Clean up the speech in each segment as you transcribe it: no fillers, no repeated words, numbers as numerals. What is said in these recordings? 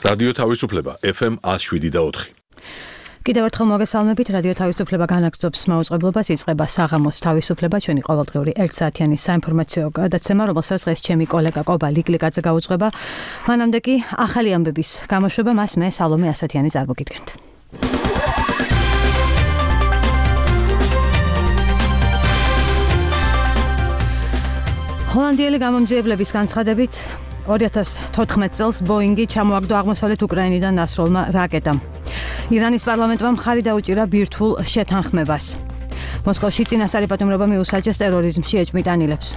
რადიო თავისუფლება FM 107.4. კიდევ ერთხელ მოგესალმებით, რადიო თავისუფლება განაგრძობს მაუწყებლობას, იწყება საღამოს თავისუფლება, ჩვენი ყოველდღიური 1 საათიანი საინფორმაციო გადაცემა, რომელსაც დღეს ჩემი კოლეგა კობა ლიკლიკაძე გაუძღვება. მანამდე კი ახალი ამბების გამოშვება, მას მე სალომე ასათიანი წარმოგიდგენთ. ჰოლანდიელი გამომძიებლების განცხადებით 2014 წელს ბოინგი ჩამოაგდო აღმოსავლეთ უკრაინიდან ნასროლმა რაკეტამ. ირანის პარლამენტმა მხარი დაუჭირა ბირთვულ შეთანხმებას. მოსკოვში წინასწარი პატიმრობა მიუსაჯეს ტერორიზმში ეჭვმიტანილებს.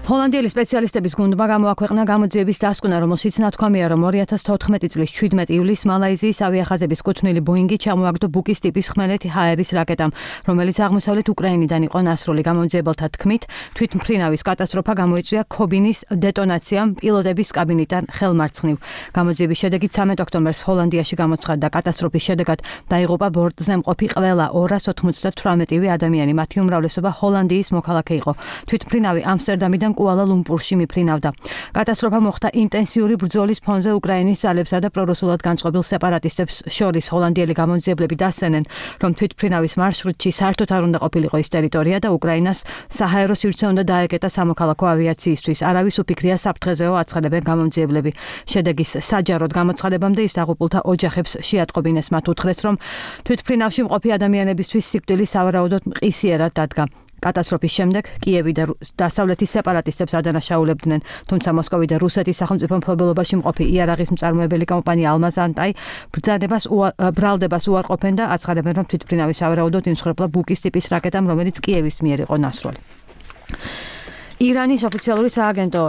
ჰოლანდიელი სპეციალისტების გუნდმა გამოაქვეყნა გამოძიების დასკვნა, რომელშიც ნათქვამია, რომ 2014 წლის 17 ივლისს მალაიზიის ავიახაზების კუთვნილი ბოინგი ჩამოაგდო ბუკის ტიპის ხმელეთი ჰაერის რაკეტამ, რომელიც აღმოსავლეთ უკრაინიდან იყო ნასროლი. გამომძიებელთა თქმით, თვითმფრინავის კატასტროფა გამოიწვია ქობინის დეტონაციამ პილოტების კაბინიდან ხელმარცხნივ. გამოძიების შედეგით 13 ოქტომბერს ჰოლანდიაში გამოცხადდა კატასტროფის შედეგად დაიღუპა ბორტზე მყოფი ყველა 298 ადამიანი, მათი უმრავლესობა ჰოლანდიის მოქალაქე იყო. თვითმფრინავი ამსტერდამიდან კუალა-ლუმპურში მიფრინავდა. კატასტროფა მოხდა ინტენსიური ბრძოლის ფონზე უკრაინის ძალებსა და პრორუსულად განწყობილ სეპარატისტებს შორის. ჰოლანდიელი გამომძიებლები დასცენენ, რომ თვითმფრინავის მარშრუტში საერთოდ არ უნდა ყოფილიყო ის ტერიტორია და უკრაინას საჰაერო სივრცე უნდა დაეკეტა სამოქალაქო ავიაციისთვის. არავის უფიქრია საფრთხეზეო, აცხადებენ გამომძიებლები. შედეგის საჯაროდ გამოცხადებამდე ის დაღუპულთა ოჯახებს შეატყობინეს. მათ უთხრეს, რომ თვითმფრინავში მყოფი ადამიანებისთვის სიკვდილი სავარაუდოდ მყისიერად დადგა. კატასტროფის შემდეგ კიევი და დასავლეთის სეპარატისტებს ადანაშაულებდნენ, თუმცა მოსკოვი და რუსეთის სახელმწიფო მფლობელობაში მყოფი იარაღის მწარმოებელი კომპანია ალმაზანტაი ბრალდებას უარყოფენ და აცხადებენ, რომ თვითმფრინავი სავარაუდოდ იმსხვრებლა ბუკის ტიპის რაკეტამ, რომელიც კიევის მიერ იყო ნასროლი. ირანის ოფიციალური სააგენტო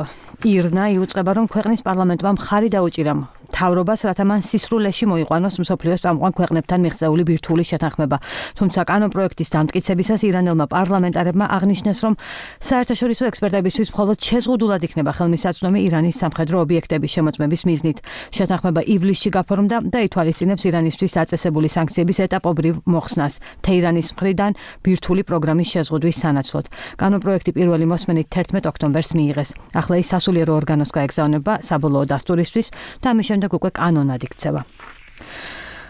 ირნა იუწყება, რომ ქვეყნის პარლამენტმა მხარი დაუჭირა მთავრობას, რათა მან სისრულეში მოიყვანოს მსოფლიოს წამყვან ქვეყნებთან მიღწეული ბირთვული შეთანხმება. თუმცა კანონპროექტის დამტკიცებისას ირანელმა პარლამენტარებმა აღნიშნეს, რომ საერთაშორისო ექსპერტებისთვის მხოლოდ შეზღუდულად იქნება ხელმისაწვდომი ირანის სამხედრო ობიექტების შემოწმების მიზნით. შეთანხმება ივლისში გაფორმდა და ითვალისწინებს ირანისთვის დაწესებული სანქციების ეტაპობრივ მოხსნას თეირანის მხრიდან ბირთვული პროგრამის შეზღუდვის სანაცვლოდ. კანონპროექტი პირველი მოსმენით 11 ოქტომბერს მიიღეს. ახლა ის სასულიერო ორგანოს გაეგზავნება საბოლოო დასტურისთვის და ამის შემდეგ უკვე კანონად იქცევა.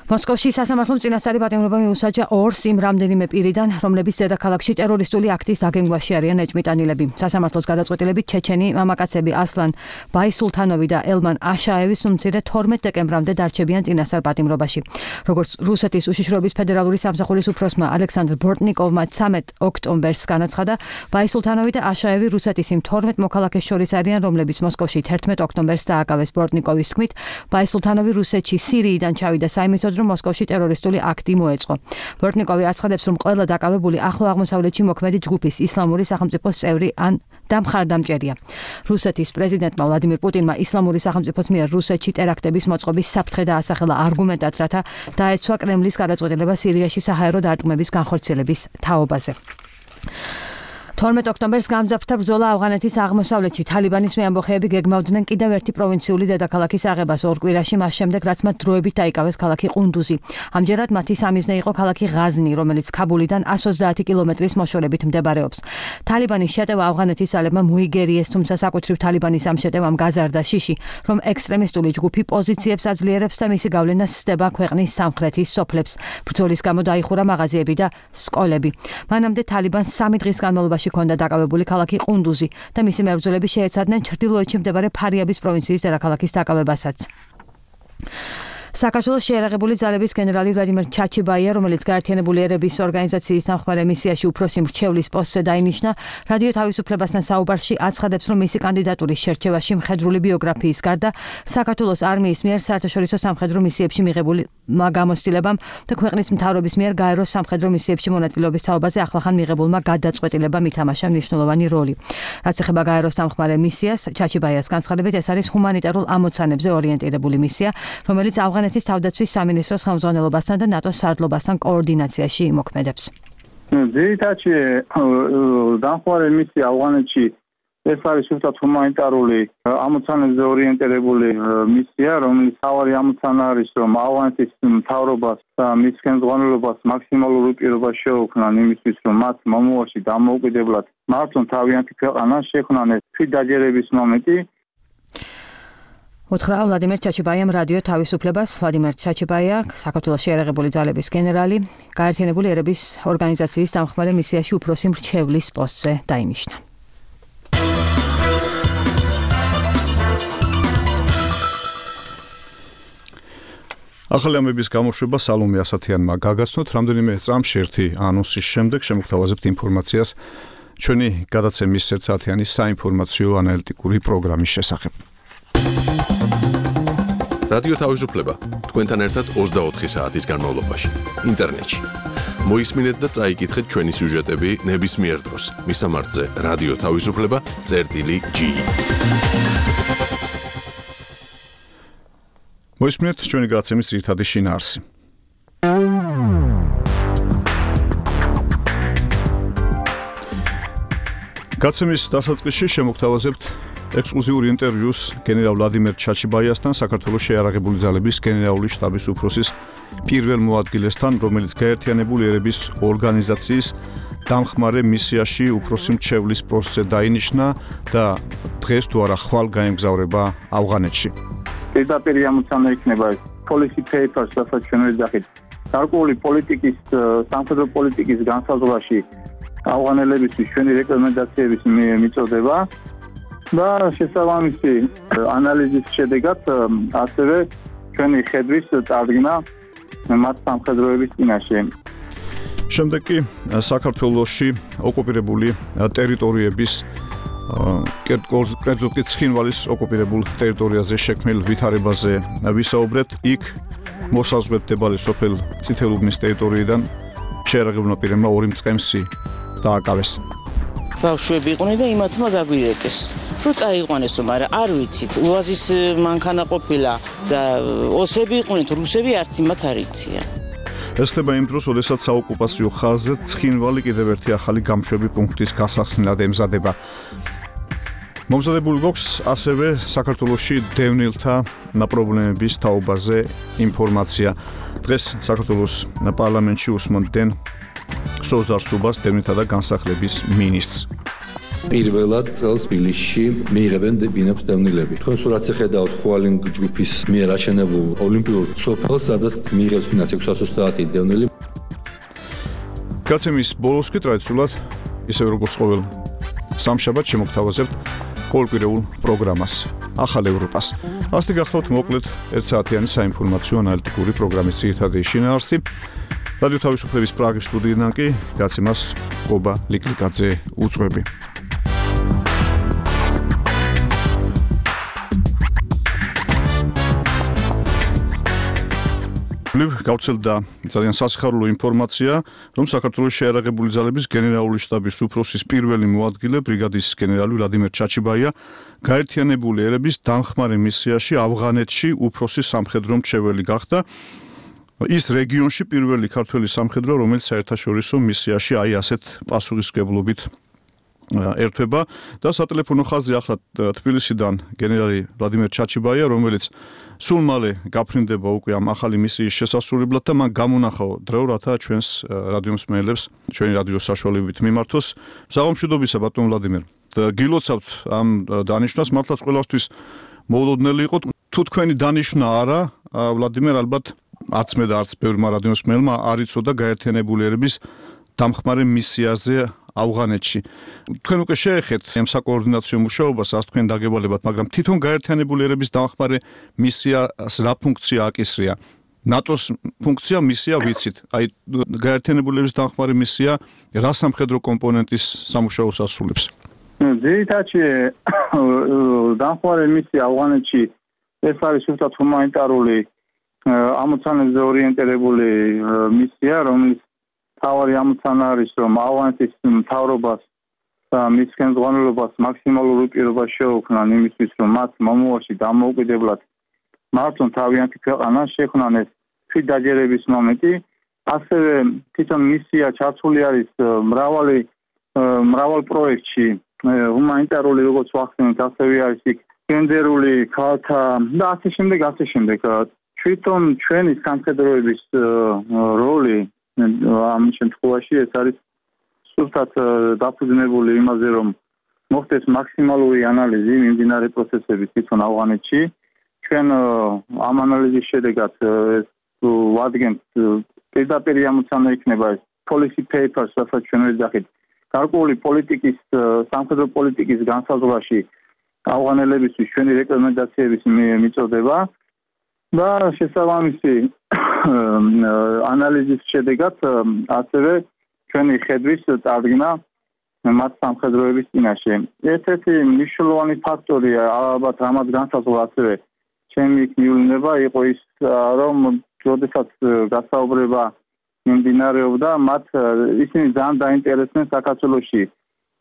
მოსკოვში სასამართლომ წინასწარი პატიმრობა მიუსაჯა ორს იმ რამდენიმე პირიდან, რომლებიც დედაქალაქში ტერორისტული აქტის დაგეგმვაში არიან ეჭვმიტანილები. სასამართლოს გადაწყვეტილებით ჩეჩენი მამაკაცები ასლან ბაისულთანოვი და ელმან აშაევის უმცირე 12 დეკემბრამდე დარჩებიან წინასწარ პატიმრობაში. როგორც რუსეთის უშიშროების ფედერალური სამსახურის უფროსმა ალექსანდრ ბორტნიკოვმა 13 ოქტომბერს განაცხადა, ბაისულთანოვი და აშაევი რუსეთის იმ 12 მოქალაქეს შორის არიან, რომლებიც მოსკოვში 11 ოქტომბერს დააკავეს. ბორტნიკოვის თქმით, ბაისულთანოვი რუსეთში სირიიდან ჩავიდა საიმედოდ, რომ მოსკოვში ტერორისტული აქტი მოეწყო. ბორტნიკოვი აცხადებს, რომ ყველა დაკავებული ახლო აღმოსავლეთში მოქმედი ჯგუფის ისლამური სახელმწიფოს წევრი ან დამხარდამჭერია. რუსეთის პრეზიდენტმა ვლადიმირ პუტინმა ისლამური სახელმწიფოს მიერ რუსეთში ტერაქტების მოწყობის საფრთხე დაასახელა არგუმენტად, რათა დაეცვა კრემლის გადაწყვეტილება სირიაში საჰაერო დარტყმების განხორციელების თაობაზე. 12 ოქტომბერს გამძაფრთა ბრძოლა ავღანეთის აღმოსავლეთში. თალიბანის მეამბოხეები გეგმავდნენ კიდევ ერთი პროვინციული დედაქალაქის აღებას ორ კვირაში, მას შემდეგ რაც მათ დროებით დაიკავეს ქალაქი ყუნდუზი. ამჯერად მათი სამიზნე იყო ქალაქი ღაზნი, რომელიც ქაბულიდან 130 კილომეტრის მოშორებით მდებარეობს. თალიბანის შეტევა ავღანეთის ძალებმა მოიგერიეს, თუმცა საკუთრივ თალიბანის ამ შეტევამ გაზარდა შიში, რომ ექსტრემისტული ჯგუფი პოზიციებს აძლიერებს და მისი გავლენა სცდება ქვეყნის სამხრეთის სოფლებს. ბრძოლის გამო დაიხურა მაღაზიები და სკოლები. მანამდე თალიბანს 3 დღის განმავლობაში ჰქონდა დაკავებული ქალაქი ყუნდუზი და მისი მებრძოლები შეეცადნენ ჩრდილოეთში მდებარე ფარიაბის პროვინციის დედაქალაქის დაკავებასაც. საქართველოს შეიარაღებული ძალების გენერალი ვლადიმერ ჩაჩიბაია, რომელიც გაერთიანებული ერების ორგანიზაციის დამხმარე მისიაში უფროსი მრჩევლის პოსტზე დაინიშნა, რადიო თავისუფლებასთან საუბარში აცხადებს, რომ მისი კანდიდატურის შერჩევაში მხედრული ბიოგრაფიის გარდა საქართველოს არმიის მიერ საერთაშორისო სამხედრო მისიებში მიღებული გამოცდილებამ და ქვეყნის მთავრობის მიერ გაეროს სამხედრო მისიებში მონაწილეობის თაობაზე ახლახან მიღებულმა გადაწყვეტილებამ ითამაშა მნიშვნელოვანი როლი. რაც ეხება გაეროს დამხმარე მისიას, ჩაჩიბაიას განცხადებით, ეს არის ჰუმანიტარულ ამოცანებზე ორიენტირებული მისია, რომელიც ავღანეთის თავდაცვის სამინისტროს ხელმძღვანელობასთან და ნატოს სარდლობასთან კოორდინაციაში იმოქმედებს. ძირითადად დამხმარე მისია ავღანეთში ეს არის უბრალოდ ჰუმანიტარული ამოცანებზე ორიენტირებული მისია, რომელიც თავარი ამოცანა არის, რომ ავღანეთის მთავრობას და მის ხელმძღვანელობას მაქსიმალური პირობა შეუქმნან იმისთვის, რომ მათ მომავალში დამოუკიდებლად მართონ თავიანთი ქვეყანა შექმნან ეს თვითდაჯერების მომენტი. უთხრა ვლადიმერ ჩაჩიბაიამ რადიო თავისუფლებას. ვლადიმერ ჩაჩიბაია, საქართველოს შეიარაღებული ძალების გენერალი, გაერთიანებული ერების ორგანიზაციის დამხმარე მისიაში უფროსი მრჩევლის პოსტზე დაინიშნა. ახალი ამბების გამოშვება სალომე ასათიანმა გაგაცნოთ. რამდენიმე წამში ერთი ანონსის შემდეგ შემოგთავაზებთ ინფორმაციას ჩვენი გადაცემის 1 საათიანი საინფორმაციო ანალიტიკური პროგრამის შესახებ. რადიო თავისუფლება თქვენთან ერთად 24 საათის განმავლობაში ინტერნეტში. მოისმინეთ და წაიკითხეთ ჩვენი სიუჟეტები ნებისმიერ დროს. მისამართზე რადიო თავისუფლება.ge. მოისმინეთ ჩვენი გადაცემის ძირითადი შინაარსი. გადაცემის დასაწყისში შემოგთავაზებთ ექსკლუზიური ინტერვიუს გენერალ ვლადიმერ ჩაჩიბაიასთან, საქართველოს შეიარაღებული ძალების გენერალური შტაბის უფროსის პირველ მოადგილესთან, რომელიც გაერთიანებული ერების ორგანიზაციის დამხმარე მისიაში უფროსი მრჩევლის პოსტზე დაინიშნა და დღეს თუ არა ხვალ გაემგზავრება ავღანეთში. პირდაპირ ამოცანა იქნება policy papers, რასაც ჩვენ ვეძახით, გარკვეული პოლიტიკის, სამხედრო პოლიტიკის განსაზღვრაში ავღანელებისთვის ჩვენი რეკომენდაციების მიწოდება და შესაბამისი ანალიზის შედეგად ასევე ჩვენი ხედვის წარდგენა მათ სამხედროების წინაშე. შემდეგ კი საქართველოში ოკუპირებული ტერიტორიების კერძოდ კი ცხინვალის ოკუპირებულ ტერიტორიაზე შექმნილ ვითარებაზე ვისაუბრეთ. იქ მოსაზღვრედ მდებარე სოფელ წითელუბნის ტერიტორიიდან შეიარაღებულმა პირებმა 2 მწყემსი დააკავეს. ბავშვები იყვნენ და იმათმა დაგვირეკეს. რო წაიყვანესო, მაგრამ არ ვიცით. უაზის მანქანა ყოფილა და ოსები იყვნენ, რუსები არც იმათ არ იციან. ეს ხდება იმ დროს, როდესაც საოკუპაციო ხაზზე ცხინვალი კიდევ ერთი ახალი გამშვები პუნქტის გასახსნელად ემზადება. მომზადებული გვაქვს ასევე საქართველოში დევნილთა პრობლემების თაობაზე ინფორმაცია. დღეს საქართველოს პარლამენტში უსმენდნენ სოზარ სუბას, დევნილთა და განსახლების მინისტრს. პირველად წელს თბილისში მიიღებენ ბინებს დევნილები. თქვენ სურათზე ხედავთ ხვალინ ჯგუფის მიერ აშენებულ ოლიმპიურ სოფელს, სადაც მიიღებს ფინანს 630 დევნილი. გადაცემის ბოლოს კი ტრადიციულად, ისევე როგორც ყოველ სამშაბათს შემოგთავაზებთ ყოველკვირეულ პროგრამას ახალ ევროპას. ასეთი გახლავთ მოკლედ 1 საათიანი საინფორმაციო ანალიტიკური პროგრამის ძირითადი შინაარსი. რადიო თავისუფლების პრაღის სტუდიიდან კი გადაცემას ყობა ლიკლიკაძე უძღვები. გავცელდა ძალიან სასიხარულო ინფორმაცია, რომ საქართველოს შეიარაღებული ძალების გენერალური შტაბის უფროსის პირველი მოადგილე ბრიგადის გენერალი ვლადიმერ ჩაჩიბაია გაერთიანებული ერების დამხმარე მისიაში ავღანეთში უფროსი სამხედრო მრჩეველი გახდა. ის რეგიონში პირველი ქართველი სამხედრო, რომელიც საერთაშორისო მისიაში ასეთ პასუხისმგებლობით ერთვება და სატელეფონო ხაზი ახლა თბილისიდან გენერალი ვლადიმერ ჩაჩიბაია, რომელიც სულ მალე გაფრინდება უკვე ამ ახალი მისიის შესასრულებლად და მან გამონახა დრო, რათა ჩვენს რადიო მსმენელებს ჩვენი რადიო საშუალებით მიმართოს. საღამშვიდობისა ბატონ ვლადიმერ. გილოცავთ ამ დანიშვნას, მართლაც ყველასთვის მოულოდნელი იყო. თუ თქვენი დანიშვნა არა, ვლადიმერ, ალბათ არც მე და არც ბევრმა რადიო მსმენელმა არ იცოდა გაერთიანებული ერების დამხმარე მისიაზე ავღანეთში. თქვენ უკვე შეეხეთ ამ საკოორდინაციო მუშაობას, ასე თქვენ დაგევალებათ, მაგრამ თვითონ გაერთიანებული ერების დამხმარე მისიას რა ფუნქცია აკისრია? ნატოს ფუნქცია მისია ვიცით. აი გაერთიანებული ერების დამხმარე მისია რა სამხედრო კომპონენტის სამუშაოს ასრულებს? ძირითადად დამხმარე მისია ავღანეთში ეს არის უბრალოდ ჰუმანიტარული ამოცანებზე ორიენტირებული მისია, რომელიც თავარი ამოცანა არის, რომ ავღანეთის მთავრობას და მის ხელმძღვანელობას მაქსიმალური პირობა შეუქმნან იმისთვის, რომ მათ მომავალში დამოუკიდებლად მართონ თავიანთი ქვეყანა შექმნან ეს თვითდაჯერების მომენტი. ასევე თვითონ მისია ჩართული არის მრავალ პროექტში, ჰუმანიტარული როგორც ვახსენეთ, ასევე არის იქ გენდერული ქალთა და ასე შემდეგ. თვითონ ჩვენი სამხედროების როლი ამ შემთხვევაში ეს არის სულთად დაფუძნებული იმაზე, რომ მოხდეს მაქსიმალური ანალიზი მიმდინარე პროცესების თვითონ ავღანეთში. ჩვენ ამ ანალიზის შედეგად ვადგენთ პირდაპირ ამოცანა იქნება ეს policy papers, რასაც ჩვენ ვეძახით გარკვეული პოლიტიკის, სამხედრო პოლიტიკის განსაზღვრაში ავღანელებისთვის ჩვენი რეკომენდაციების მიწოდება და შესაბამისი ანალიზის შედეგად ასევე ჩვენი ხედვის წარდგენა მათ სამხედროების წინაშე. ერთ-ერთი მნიშვნელოვანი ფაქტორია ალბათ რამაც განსაზღვრა ასევე ჩემი მივლინება იყო ის რომ როდესაც გასაუბრება მიმდინარეობდა მათ ისინი ძალიან დაინტერესდნენ საქართველოში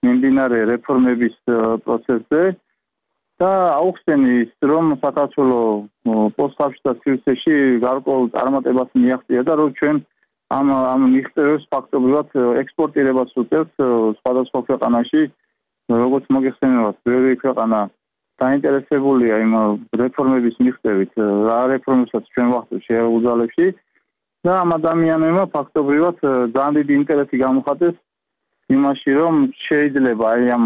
მიმდინარე რეფორმების პროცესზე და აუხსენის რომ საქართველოს პოსტსაბჭოთა სივრცეში გარკვეულ წარმატებას მიაღწია და რომ ჩვენ ამ მიღწევებს ფაქტობრივად ექსპორტირებას უწევს სხვადასხვა ქვეყანაში როგორც მოგეხსენებათ ბევრი ქვეყანა დაინტერესებულია იმ რეფორმების მიღწევით რა რეფორმებსაც ჩვენ ვახდენთ შეერულ ძალებში და ამ ადამიანებმა ფაქტობრივად ძალიან დიდი ინტერესი გამოხატეს იმაში რომ შეიძლება აი ამ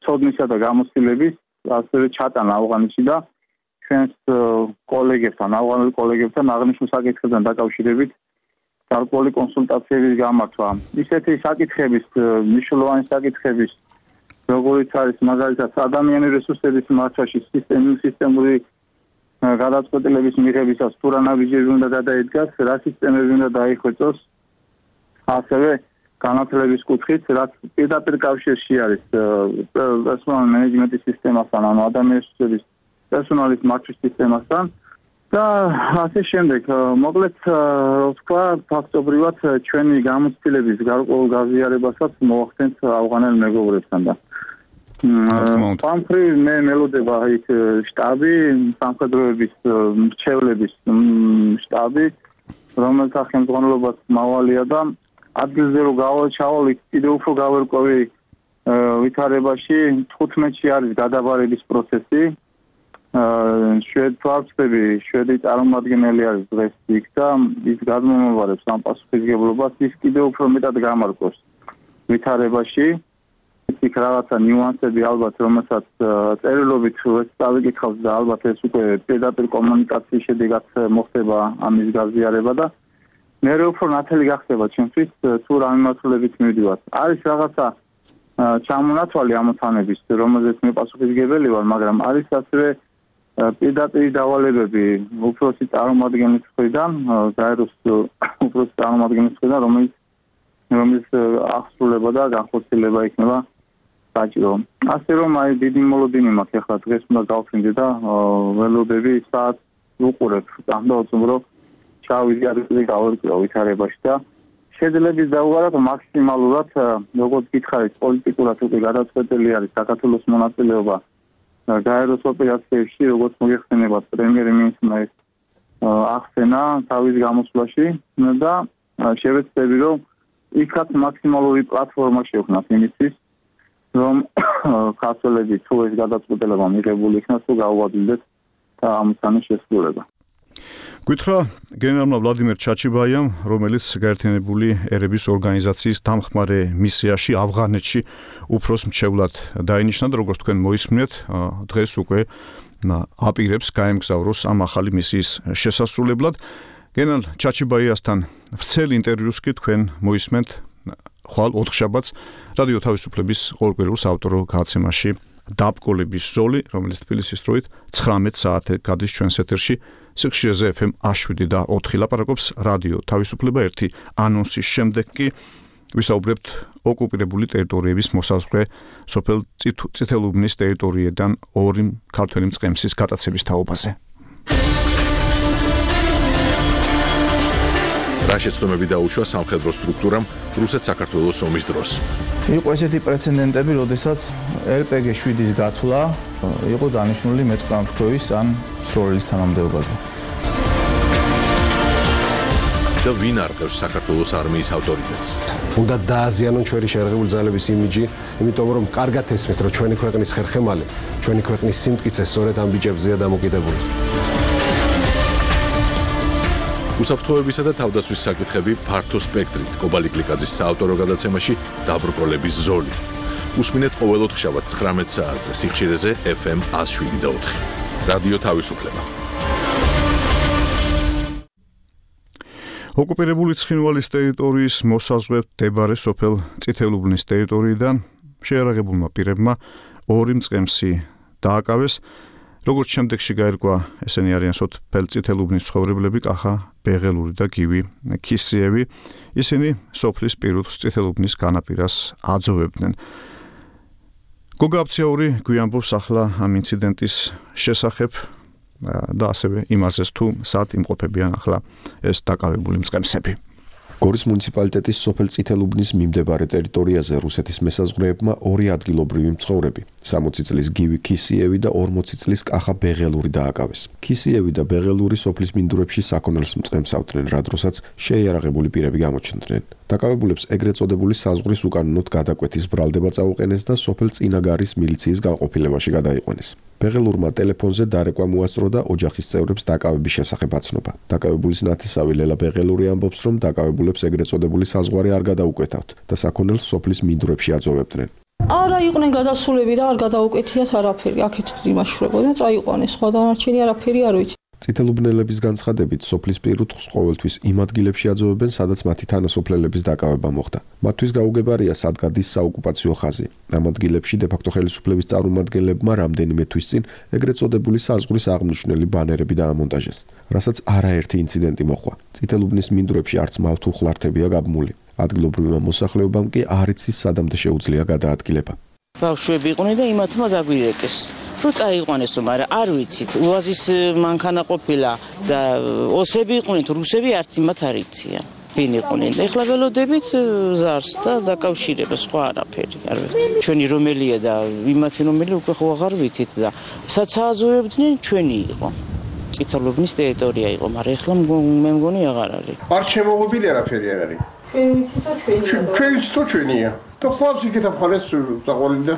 ცოდნისა და გამოცდილების ასევე ჩატანა ავღანეთში და ჩვენს კოლეგებთან, ავღანელ კოლეგებთან აღნიშნულ საკითხებთან დაკავშირებით გარკვეული კონსულტაციების გამართვა. ისეთი საკითხების, მნიშვნელოვანი საკითხების, როგორიც არის მაგალითად ადამიანური რესურსების მართვაში სისტემური გადაწყვეტილების მიღებისას თუ რა ნაბიჯები უნდა გადაიდგას, რა სისტემები უნდა დაიხვეწოს, ასევე განათლების კუთხით, რაც პირდაპირ კავშირში არის პერსონალ მენეჯმენტის სისტემასთან, ანუ ადამიანური რესურსების პერსონალის მართვის სისტემასთან და ასე შემდეგ. მოკლედ, თქვა, ფაქტობრივად ჩვენი გამოცდილების გარკვეულ გაზიარებასაც მოახდენთ ავღანელ მეგობრებთან და პამფრი მე მელოდება იქ შტაბი, სამხედროების მრჩევლების შტაბი, რომელთა ხელმძღვანელობაც მავალია და ადგილზე რომ ჩავალ კიდევ უფრო გავერკვევი ვითარებაში 15-ში არის გადაბარების პროცესი. შვედები, შვედი წარმომადგენელი არის დღეს იქ და ის გადმომაბარებს ამ პასუხისმგებლობას, ის კიდევ უფრო მეტად გამარკვევს ვითარებაში. იქ რაღაცა ნიუანსები ალბათ, რომელსაც წერილობით წავიკითხავს და ალბათ ეს უკვე პირდაპირ კომუნიკაციის შედეგად მოხდება ამის გაზიარება და მე უფრო ნათელი გახდება ჩემთვის თუ რა მიმართულებით მივდივარ. არის რაღაცა ჩამონათვალი ამოცანების, რომელზეც მე პასუხისმგებელი ვარ, მაგრამ არის ასევე პირდაპირ დავალებები უფროსი წარმომადგენლის მხრიდან, გაეროს უფროსი წარმომადგენლის მხრიდან, რომელიც აღსრულება და განხორციელება იქნება საჭირო. ასე რომ აი დიდი მოლოდინი მაქვს ახლა დღეს უნდა გავხსნიდე და ველოდები საათს უყურებ დამოწმრო ჩავიზიარებ გავერკვევ ვითარებაში და შეძლებს დავუყაროთ მაქსიმალურად როგორც გითხარით პოლიტიკურად უკვე გადაწყვეტილი არის საქართველოს მონაწილეობა გაეროს ოპერაციებში, როგორც მოგეხსენებათ პრემიერ-მინისტრმა ახსენა თავის გამოსვლაში და შევეცდები რომ იქაც მაქსიმალური პლატფორმა შევქმნათ იმისთვის რომ ქართველები თუ ეს გადაწყვეტილება მიღებული იქნას თუ გაუადვილდეთ და ამოცანის შესრულება. გითხრა გენერალმა ვლადიმერ ჩაჩიბაიამ, რომელიც გაერთიანებული ერების ორგანიზაციის დამხმარე მისიაში ავღანეთში უფროს მრჩევლად დაინიშნა და როგორც თქვენ მოისმინეთ, დღეს უკვე აპირებს გაემგზავროს ამ ახალი მისიის შესასრულებლად. გენერალ ჩაჩიბაიასთან ვრცელ ინტერვიუს კი თქვენ მოისმენთ ხვალ ოთხშაბათს რადიო თავისუფლების ყოველკვირეულ საავტორო გადაცემაში დაბკოლების ზოლი, რომელიც თბილისის დროით 19 საათზე გადის ჩვენს ეთერში. სიხშირეზე FM 7 და 4 ლაპარაკობს რადიო თავისუფლება 1 ანონსის შემდეგ კი ვისაუბრებთ ოკუპირებული ტერიტორიების მოსაზღვრე სოფელ წითელუბნის ტერიტორიიდან 2 ქართველი მწყემსის გატაცების თაობაზე. რა შეცდომები დაუშვა სამხედრო სტრუქტურამ რუსეთ-საქართველოს ომის დროს. იყო ესეთი პრეცედენტები, როდესაც RPG 7-ის გათვლა იყო დანიშნული მეტყამშქოვის ან სროლის თანამდებობაზე. და ვინ არყევს საქართველოს არმიის ავტორიტეტს? უნდა დააზიანონ ჩვენი შეერაღებული ძალების იმიჯი, იმიტომ რომ კარგად ესმით, რომ ჩვენი ქვეყნის ხერხემალი, ჩვენი ქვეყნის სიმტკიცე სწორედ ამ ბიჭებზეა დამოკიდებული. უსაფრთხოებისა და თავდაცვის საკითხები ფართო სპექტრით კობალი კლიკაძის საავტორო გადაცემაში დაბრკოლების ზოლი. უსმინეთ ყოველ ოთხშაბათს 19 საათზე სიხშირეზე FM 107 და 4. რადიო თავისუფლება. ოკუპირებული ცხინვალის ტერიტორიის მოსაზღვრედ მდებარე სოფელ წითელუბნის ტერიტორიიდან შეიარაღებულმა პირებმა 2 მწყემსი დააკავეს. როგორც შემდეგში გაირკვა, ესენი არიან სოფელ წითელუბნის ცხოვრებლები კახა ბეღელური და გივი ქისიევი. ისინი სოფლის პირუთ წითელუბნის განაპირას აძოვებდნენ. გოგა აფციაური გვიანბობს ახლა ამ ინციდენტის შესახებ და ასევე იმაზეც თუ სად იმყოფებიან ახლა ეს დაკავებული მწყემსები. გორის მუნიციპალიტეტის სოფელ წითელუბნის მიმდებარე ტერიტორიაზე რუსეთის მესაზღვრეებმა 2 ადგილობრივი მცხოვრები 60 წლის გივი ქისიევი და 40 წლის კახა ბეღელური დააკავეს. ქისიევი და ბეღელური სოფლის მინდვრებში საქონელს მწყემსავდნენ, რა დროსაც შეიარაღებული პირები გამოჩნდნენ. დაკავებულებს ეგრეთ წოდებული საზღვრის უკანონოდ გადაკვეთის ბრალდება წაუყენეს და სოფელ წინაგარის მილიციის განყოფილებაში გადაიყვანეს. ბეღელურმა ტელეფონზე დარეკვა მოასწრო და ოჯახის წევრებს დაკავების შესახებ აცნობა. დაკავებულის ნათესავი ლელა ბეღელური ამბობს, რომ დაკავებულებს ეგრეთ წოდებული საზღვარი არ გადაუკვეთავთ და საქონელს სოფლის მინდვრებში აძოვებდნენ. არა იყვნენ გადასულები და არ გადაუკეთიათ არაფერი. აქეთ იმაშურებოდნენ, წაიყვანეს, სხვა დანარჩენი არაფერი არ ვიცი. წითელუბნელების განცხადებით, სოფლის პირუტყვს ყოველთვის იმ ადგილებში აძოვებენ, სადაც მათი თანასოფლელების დაკავება მოხდა. მათთვის გაუგებარია, სად გადის საოკუპაციო ხაზი. ამ ადგილებში დე-ფაქტო ხელისუფლების წარმომადგენლებმა რამდენიმე თვის წინ ეგრეთ წოდებული საზღვრის აღმნიშვნელი ბანერები დაამონტაჟეს, რასაც არაერთი ინციდენტი მოხდა. წითელუბნის მინდვრებში არც მავთულ ხლართებია გაბმული. ადგილობრივმა მოსახლეობამ კი არ იცის სადამდე შეუძლია გადაადგილება. ბავშვები იყვნენ და იმათმა დაგვირეკეს. რო წაიყვანესო, მაგრამ არ ვიცით. უაზის მანქანა ყოფილა და ოსები იყვნენ, რუსები არც იმათ არ იციან. ვინ იყვნენ? ეხლა ველოდებით ზარს და დაკავშირებას, სხვა არაფერი არ ვიცით. ჩვენი რომელია და იმათი რომელი უკვე ხო აღარ ვიცით და საცააზოებდნენ ჩვენი იყო. წითელუბნის ტერიტორია იყო, მაგრამ ეხლა მე მგონი აღარ არის. არ შემოღობილი არაფერი არ არის. ჩვენი ციტო ჩვენია. და ხვალს იქეთა მხარეს წაყვალი და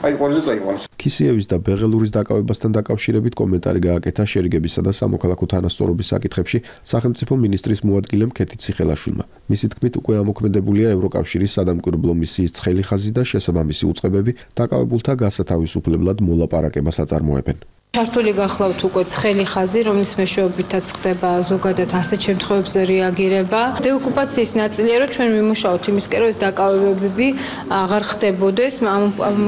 აიყვანეს და აიყვანეს. ქისიევის და ბეღელურის დაკავებასთან დაკავშირებით კომენტარი გააკეთა შერიგებისა და სამოქალაქო თანასწორობის საკითხებში სახელმწიფო მინისტრის მოადგილემ ქეთი ციხელაშვილმა. მისი თქმით, უკვე ამოქმედებულია ევროკავშირის სადამკვირვებლო მისიის ცხელი ხაზი და შესაბამისი უწყებები დაკავებულთა გასათავისუფლებლად მოლაპარაკებას აწარმოებენ. ჩართული გახლავთ უკვე ცხელი ხაზი, რომლის მეშვეობითაც ხდება ზოგადად ასეთ შემთხვევებზე რეაგირება. დეოკუპაციის ნაწილია, რომ ჩვენ ვიმუშაოთ იმისკენ, რომ ეს დაკავებები აღარ ხდებოდეს,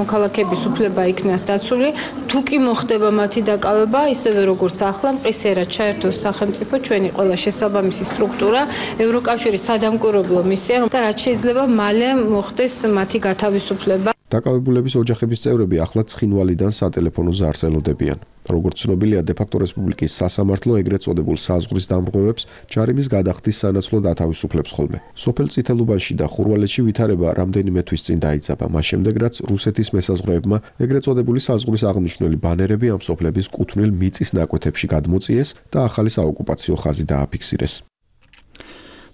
მოქალაქეების უფლება იქნას დაცული. თუ კი მოხდება მათი დაკავება, ისევე როგორც ახლა მყისიერად ჩაერთოს სახელმწიფო, ჩვენი ყველა შესაბამისი სტრუქტურა, ევროკავშირის სადამკვირვებლო მისია და რაც შეიძლება მალე მოხდეს მათი გათავისუფლება. დაკავებულების ოჯახების წევრები ახლა ცხინვალიდან სატელეფონო ზარს ელოდებიან. როგორც ცნობილია, დე-ფაქტო რესპუბლიკის სასამართლო ეგრეთ წოდებულ საზღვრის დამრღვევებს ჯარიმის გადახდის სანაცვლოდ ათავისუფლებს ხოლმე. სოფელ წითელუბანში და ხურვალეთში ვითარება რამდენიმე თვის წინ დაიძაბა, მას შემდეგ რაც რუსეთის მესაზღვრეებმა ეგრეთ წოდებული საზღვრის აღმნიშვნელი ბანერები ამ სოფლების კუთვნილ მიწის ნაკვეთებში გადმოწიეს და ახალი საოკუპაციო ხაზი დააფიქსირეს.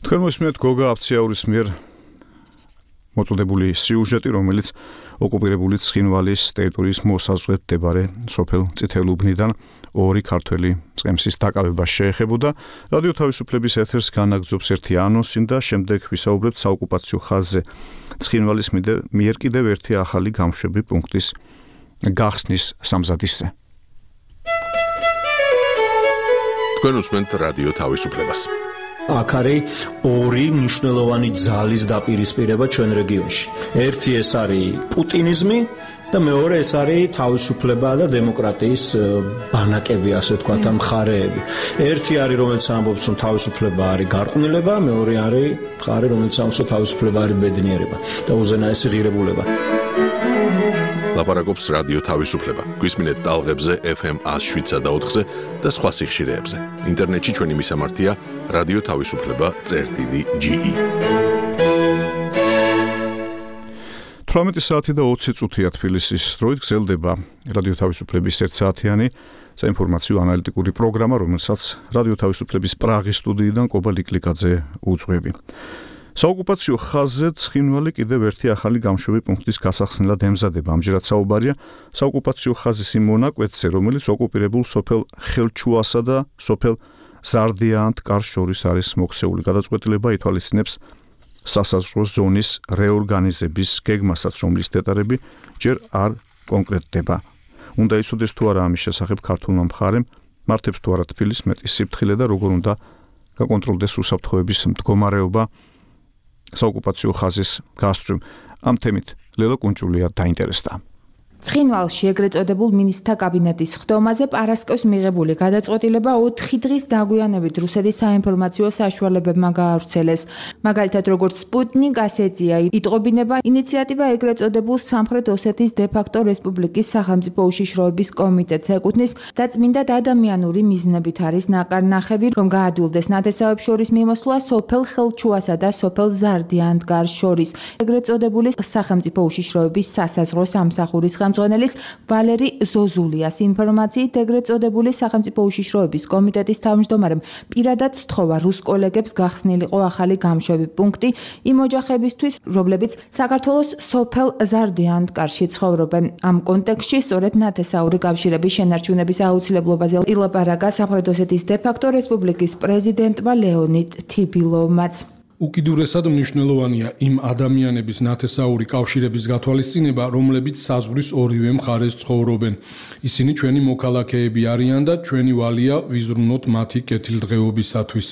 თქვენ მოსმენთ გოგა აფციაურის მიერ მოწოდებული სიუჟეტი, რომელიც ოკუპირებული ცხინვალის ტერიტორიის მოსაზღვრედ მდებარე სოფელ წითელუბნიდან 2 ქართველი მწყემსის დაკავებას შეეხებოდა. რადიო თავისუფლების ეთერს განაგრძობს ერთი ანონსი და შემდეგ ვისაუბრებთ საოკუპაციო ხაზზე ცხინვალის მიერ კიდევ ერთი ახალი გამშვები პუნქტის გახსნის სამზადისზე. თქვენ უსმენთ რადიო თავისუფლებას. აქ არის 2 მნიშვნელოვანი ძალის დაპირისპირება ჩვენ რეგიონში. ერთი ეს არის პუტინიზმი და მეორე ეს არის თავისუფლება და დემოკრატიის ბანაკები, ასე ვთქვათ, მხარეები. ერთი არის, რომელიც ამბობს, რომ თავისუფლება არის გარყვნილება, მეორე არის მხარე, რომელიც ამბობს, რომ თავისუფლება არის ბედნიერება და უზენაესი ღირებულება. ლაპარაკობს რადიო თავისუფლება. გვისმინეთ ტალღებზე FM 107 და 4-ზე და სხვა სიხშირეებზე. ინტერნეტში ჩვენი მისამართია რადიო თავისუფლება.ge. 18 საათი და 20 წუთია თბილისის დროით გრძელდება რადიო თავისუფლების 1 საათიანი საინფორმაციო ანალიტიკური პროგრამა, რომელსაც რადიო თავისუფლების პრაღის სტუდიიდან კობა ლიკლიკაძე უძღვები. საოკუპაციო ხაზზე ცხინვალი კიდევ ერთი ახალი გამშვები პუნქტის გასახსნელად ემზადება. ამჯერად საუბარია საოკუპაციო ხაზის იმ მონაკვეთზე, რომელიც ოკუპირებულ სოფელ ხელჩუასა და სოფელ ზარდიანთ კარს შორის არის მოქცეული. გადაწყვეტილება ითვალისწინებს სასაზღვრო ზონის რეორგანიზების გეგმასაც, რომლის დეტალები ჯერ არ კონკრეტდება. უნდა იცოდეს თუ არა ამის შესახებ ქართულმა მხარემ, მართებს თუ არა თბილის მეტის სიფრთხილე და როგორ უნდა გაკონტროლდეს უსაფრთხოების მდგომარეობა საოკუპაციო ხაზის გასწვრივ. ამ თემით ლელა კუნჭულია დაინტერესდა. ცხინვალში ეგრეთ წოდებულ მინისტრთა კაბინეტის ხდომაზე პარასკევს მიღებული გადაწყვეტილება 4 დღის დაგვიანებით რუსეთის საინფორმაციო საშუალებებმა გაავრცელეს. მაგალითად, როგორც სპუტნიკ ასეცია იტყობინება ინიციატივა ეგრეთ წოდებულ სამხრეთ ოსეთის დე-ფაქტო რესპუბლიკის სახელმწიფო უშიშროების კომიტეტს ეკუთვნის და წმინდად ადამიანური მიზნებით არის ნაკარნახები, რომ გაადვილდეს ნათესავებს შორის მიმოსვლა სოფელ ხელჩუასა და სოფელ ზარდიანდგარს შორის. ეგრეთ წოდებული სახელმწიფო უშიშროების სასაზღვრო სამსახურის ხელმძღვანელის ვალერი ზოზულიას ინფორმაციით ეგრეთ წოდებული სახელმწიფო უშიშროების კომიტეტის თავმჯდომარემ პირადად სთხოვა რუს კოლეგებს გახსნილიყო ახალი გამშვები პუნქტი იმ ოჯახებისთვის, რომლებიც საქართველოს სოფელ ზარდიანდგარში ცხოვრობენ. ამ კონტექსტში სწორედ ნათესაური კავშირების შენარჩუნების აუცილებლობაზე ილაპარაკა სამხრეთ ოსეთის დე-ფაქტო რესპუბლიკის პრეზიდენტმა ლეონიდ თიბილოვმაც. უკიდურესად მნიშვნელოვანია იმ ადამიანების ნათესაური კავშირების გათვალისწინება, რომლებიც საზღვრის ორივე მხარეს ცხოვრობენ. ისინი ჩვენი მოქალაქეები არიან და ჩვენი ვალია ვიზრუნოთ მათი კეთილდღეობისათვის.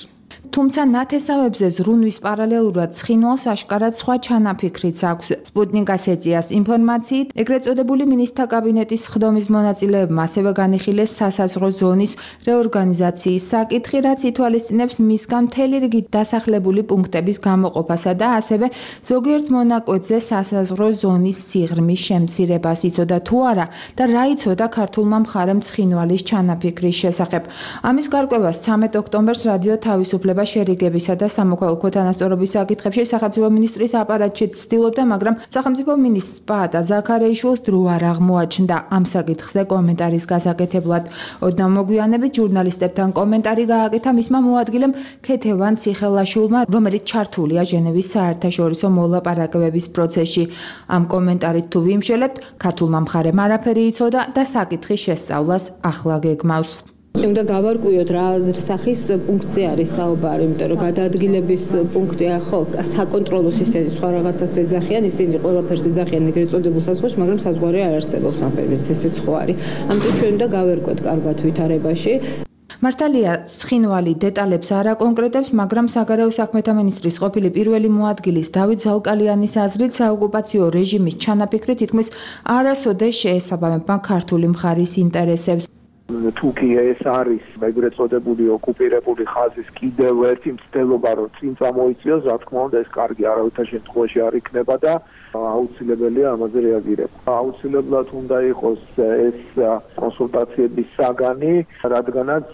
თუმცა ნათესავებზე ზრუნვის პარალელურად ცხინვალს აშკარად სხვა ჩანაფიქრიც აქვს. სპუტნიკ ასეციას ინფორმაციით, ეგრეთ წოდებული მინისტრთა კაბინეტის ხდომის მონაწილეებმა ასევე განიხილეს სასაზღვრო ზონის რეორგანიზაციის საკითხი, რაც ითვალისწინებს მისგან მთელი რიგი დასახლებული პუნქტების გამოყოფასა და ასევე ზოგიერთ მონაკვეთზე სასაზღვრო ზონის სიღრმის შემცირებას. იცოდა თუ არა და რა იცოდა ქართულმა მხარემ ცხინვალის ჩანაფიქრის შესახებ. ამის გარკვევას 13 ოქტომბერს რადიო თავისუფლება შერიგებისა და სამოქალაქო თანასწორობის საკითხებში სახელმწიფო მინისტრის აპარატში ცდილობდა, მაგრამ სახელმწიფო მინისტრს პაატა ზაქარეიშვილს დრო არ აღმოაჩნდა ამ საკითხზე კომენტარის გასაკეთებლად. ოდნავ მოგვიანებით ჟურნალისტებთან კომენტარი გააკეთა მისმა მოადგილემ ქეთევან ციხელაშვილმა, რომელიც ჩართულია ჟენევის საერთაშორისო მოლაპარაკებების პროცესში. ამ კომენტარით თუ ვიმშელებთ, ქართულმა მხარემ არაფერი იცოდა და საკითხის შესწავლას ახლა გეგმავს. უნდა გავარკვიოთ რა სახის პუნქტზე არის საუბარი, იმიტომ რომ გადაადგილების პუნქტია ხო საკონტროლო სისტემის სხვა რაღაცას ეძახიან, ისინი ყველაფერს ეძახიან ეგრეთ წოდებულ საზღვარში, მაგრამ საზღვარი არ არსებობს ამ პერიოდში, ესეც ხო არის. ამიტომ ჩვენ უნდა გავერკვოთ კარგად ვითარებაში. მართალია, ცხინვალი დეტალებს არ აკონკრეტებს, მაგრამ საგარეო საქმეთა მინისტრის ყოფილი პირველი მოადგილის დავით ზალკალიანის აზრით, საოკუპაციო რეჟიმის ჩანაფიქრი თითქმის არასოდეს შეესაბამება ქართული მხარის ინტერესებს. თუ კი ეს არის ეგრეთ წოდებული ოკუპირებული ხაზის კიდევ ერთი მცდელობა, რომ წინ წამოიწიოს, რა თქმა უნდა, ეს კარგი არავითარ შემთხვევაში არ იქნება და აუცილებელია ამაზე რეაგირება. აუცილებლად უნდა იყოს ეს კონსულტაციების საგანი, რადგანაც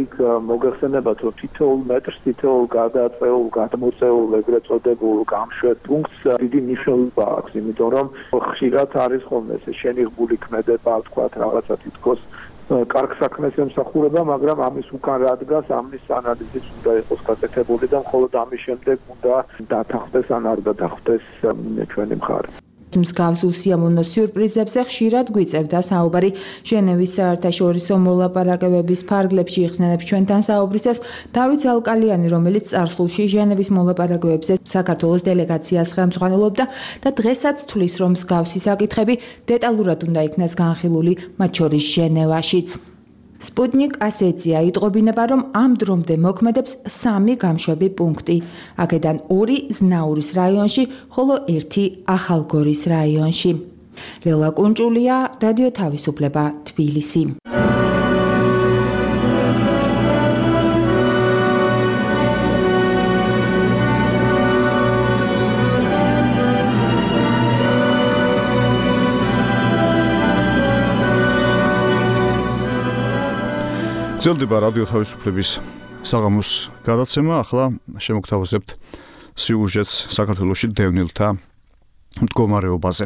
იქ მოგეხსენებათ, რომ თითოეულ მეტრს, თითოეულ გადაწეულ, გადმოწეულ ეგრეთ წოდებულ გამშვებ პუნქტს დიდი მნიშვნელობა აქვს, იმიტომ რომ ხშირად არის ხოლმე ეს შენიღბული ქმედება, თქვათ რაღაცა თითქოს კარგ საქმეს ემსახურება, მაგრამ ამის უკან რა დგას, ამის ანალიზიც უნდა იყოს გაკეთებული და მხოლოდ ამის შემდეგ უნდა დათანხმდეს ან არ დათანხმდეს ჩვენი მხარე. მსგავს უსიამოვნო სიურპრიზებზე ხშირად გვიწევდა საუბარი ჟენევის საერთაშორისო მოლაპარაკებების ფარგლებში იხსენებს ჩვენთან საუბრისას დავით ზალკალიანი, რომელიც წარსულში ჟენევის მოლაპარაკებებზე საქართველოს დელეგაციას ხელმძღვანელობდა და დღესაც თვლის, რომ მსგავსი საკითხები დეტალურად უნდა იქნას განხილული, მათ შორის ჟენევაშიც. სპუტნიკ ასეცია იტყობინება, რომ ამ დრომდე მოქმედებს 3 გამშვები პუნქტი. აქედან 2 ზნაურის რაიონში, ხოლო 1 ახალგორის რაიონში. ლელა კუნჭულია, რადიო თავისუფლება, თბილისი. გრძელდება რადიო თავისუფლების საღამოს გადაცემა. ახლა შემოგთავაზებთ სიუჟეტს საქართველოში დევნილთა მდგომარეობაზე.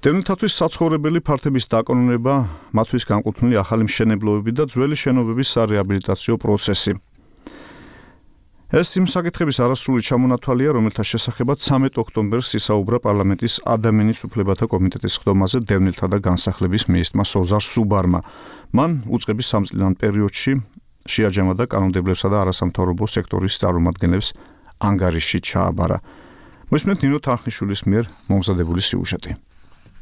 დევნილთათვის საცხოვრებელი ფართების დაკონონება, მათთვის განკუთვნილი ახალი მშენებლობები და ძველი შენობების სარეაბილიტაციო პროცესი. ეს იმ საკითხების არასრული ჩამონათვალია, რომელთა შესახებაც 13 ოქტომბერს ისაუბრა პარლამენტის ადამიანის უფლებათა კომიტეტის ხდომაზე დევნილთა და განსახლების მინისტრმა სოზარ სუბარმა. მან უწყების სამწლიან პერიოდში შეაჯამა და კანონმდებლებსა და არასამთავრობო სექტორის წარმომადგენლებს ანგარიში ჩააბარა. მოსმენთ ნინო თანხნიშვილის მიერ მომზადებული სიუჟეტი.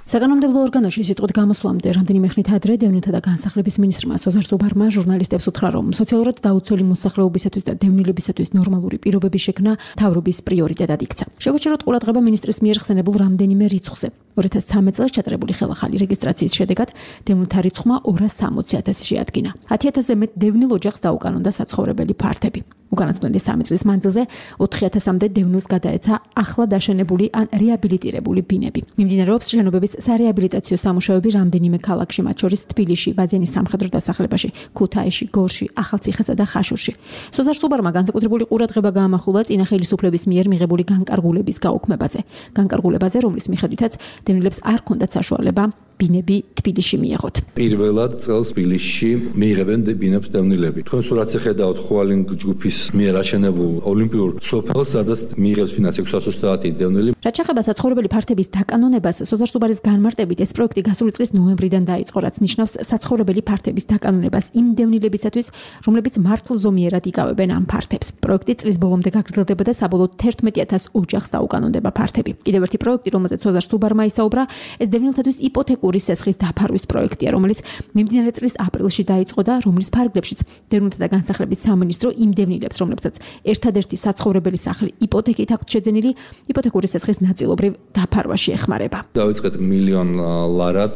საკანონმდებლო ორგანოში სიტყვით გამოსვლამდე რამდენიმე ხნით ადრე დევნილთა და განსახლების მინისტრმა სოზარ სუბარმა ჟურნალისტებს უთხრა, რომ სოციალურად დაუცველი მოსახლეობისათვის და დევნილებისათვის ნორმალური პირობების შექმნა მთავრობის პრიორიტეტად იქცა. შევაჩეროთ ყურადღება მინისტრის მიერ ხსენებულ რამდენიმე რიცხვზე. 2013 წელს ჩატარებული ხელახალი რეგისტრაციის შედეგად დევნილთა რიცხვმა 260,000 შეადგინა. 10,000-ზე მეტ დევნილ ოჯახს დაუკანონდა საცხოვრებელი ფართები. უკანასკნელი 3 წლის მანძილზე 4,000-მდე დევნილს გადაეცა ახლა დაშენებული ან რეაბილიტირებული ბინები. მიმდინარეობს შენობების სარეაბილიტაციო სამუშაოები რამდენიმე ქალაქში, მათ შორის თბილისში, ვაზიანის სამხედრო დასახლებაში, ქუთაისში, გორში, ახალციხესა და ხაშურში. სოზარ სუბარმა განსაკუთრებული ყურადღება გაამახვილა წინა ხელისუფლების მიერ მიღებული განკარგულების გაუქმებაზე. განკარგულებაზე, რომლის მიხედვითაც დევნილებს არ ჰქონდათ საშუალება ბინები თბილისში მიეღოთ. პირველად წელს თბილისში მიიღებენ ბინებს დევნილები. თქვენ სურათს ხედავთ ხუალინგ ჯგუფის მიერ აშენებულ ოლიმპიურ სოფელს, სადაც მიიღებს ფინანსი 630 დევნილი. რაც შეეხება საცხოვრებელი ფართების დაკანონებას, სოზარ სუბარის განმარტებით ეს პროექტი გასული წლის ნოემბრიდან დაიწყო, რაც ნიშნავს საცხოვრებელი ფართების დაკანონებას იმ დევნილებისათვის, რომლებიც მართლზომიერად იკავებენ ამ ფართებს. პროექტი წლის ბოლომდე გაგრძელდება და საბოლოოდ 11,000 ოჯახს დაუკანონდება ფართები. კიდევ ერთი პროექტი, რომელზეც სოზარ სუბარმა ისაუბრა, ეს დევნილთათვის იპოთეკური სესხის დაფარვის პროექტია, რომელიც მიმდინარე წლის აპრილში დაიწყო და რომლის ფარგლებშიც დევნილთა და განსახლების სამინისტრო იმ დევნილებს, რომლებსაც ერთადერთი საცხოვრებელი სახლი იპოთეკით აქვთ შეძენილი, იპოთეკური სესხის ნაწილობრივ დაფარვაში ეხმარება. დავიწყეთ $1 მილიონ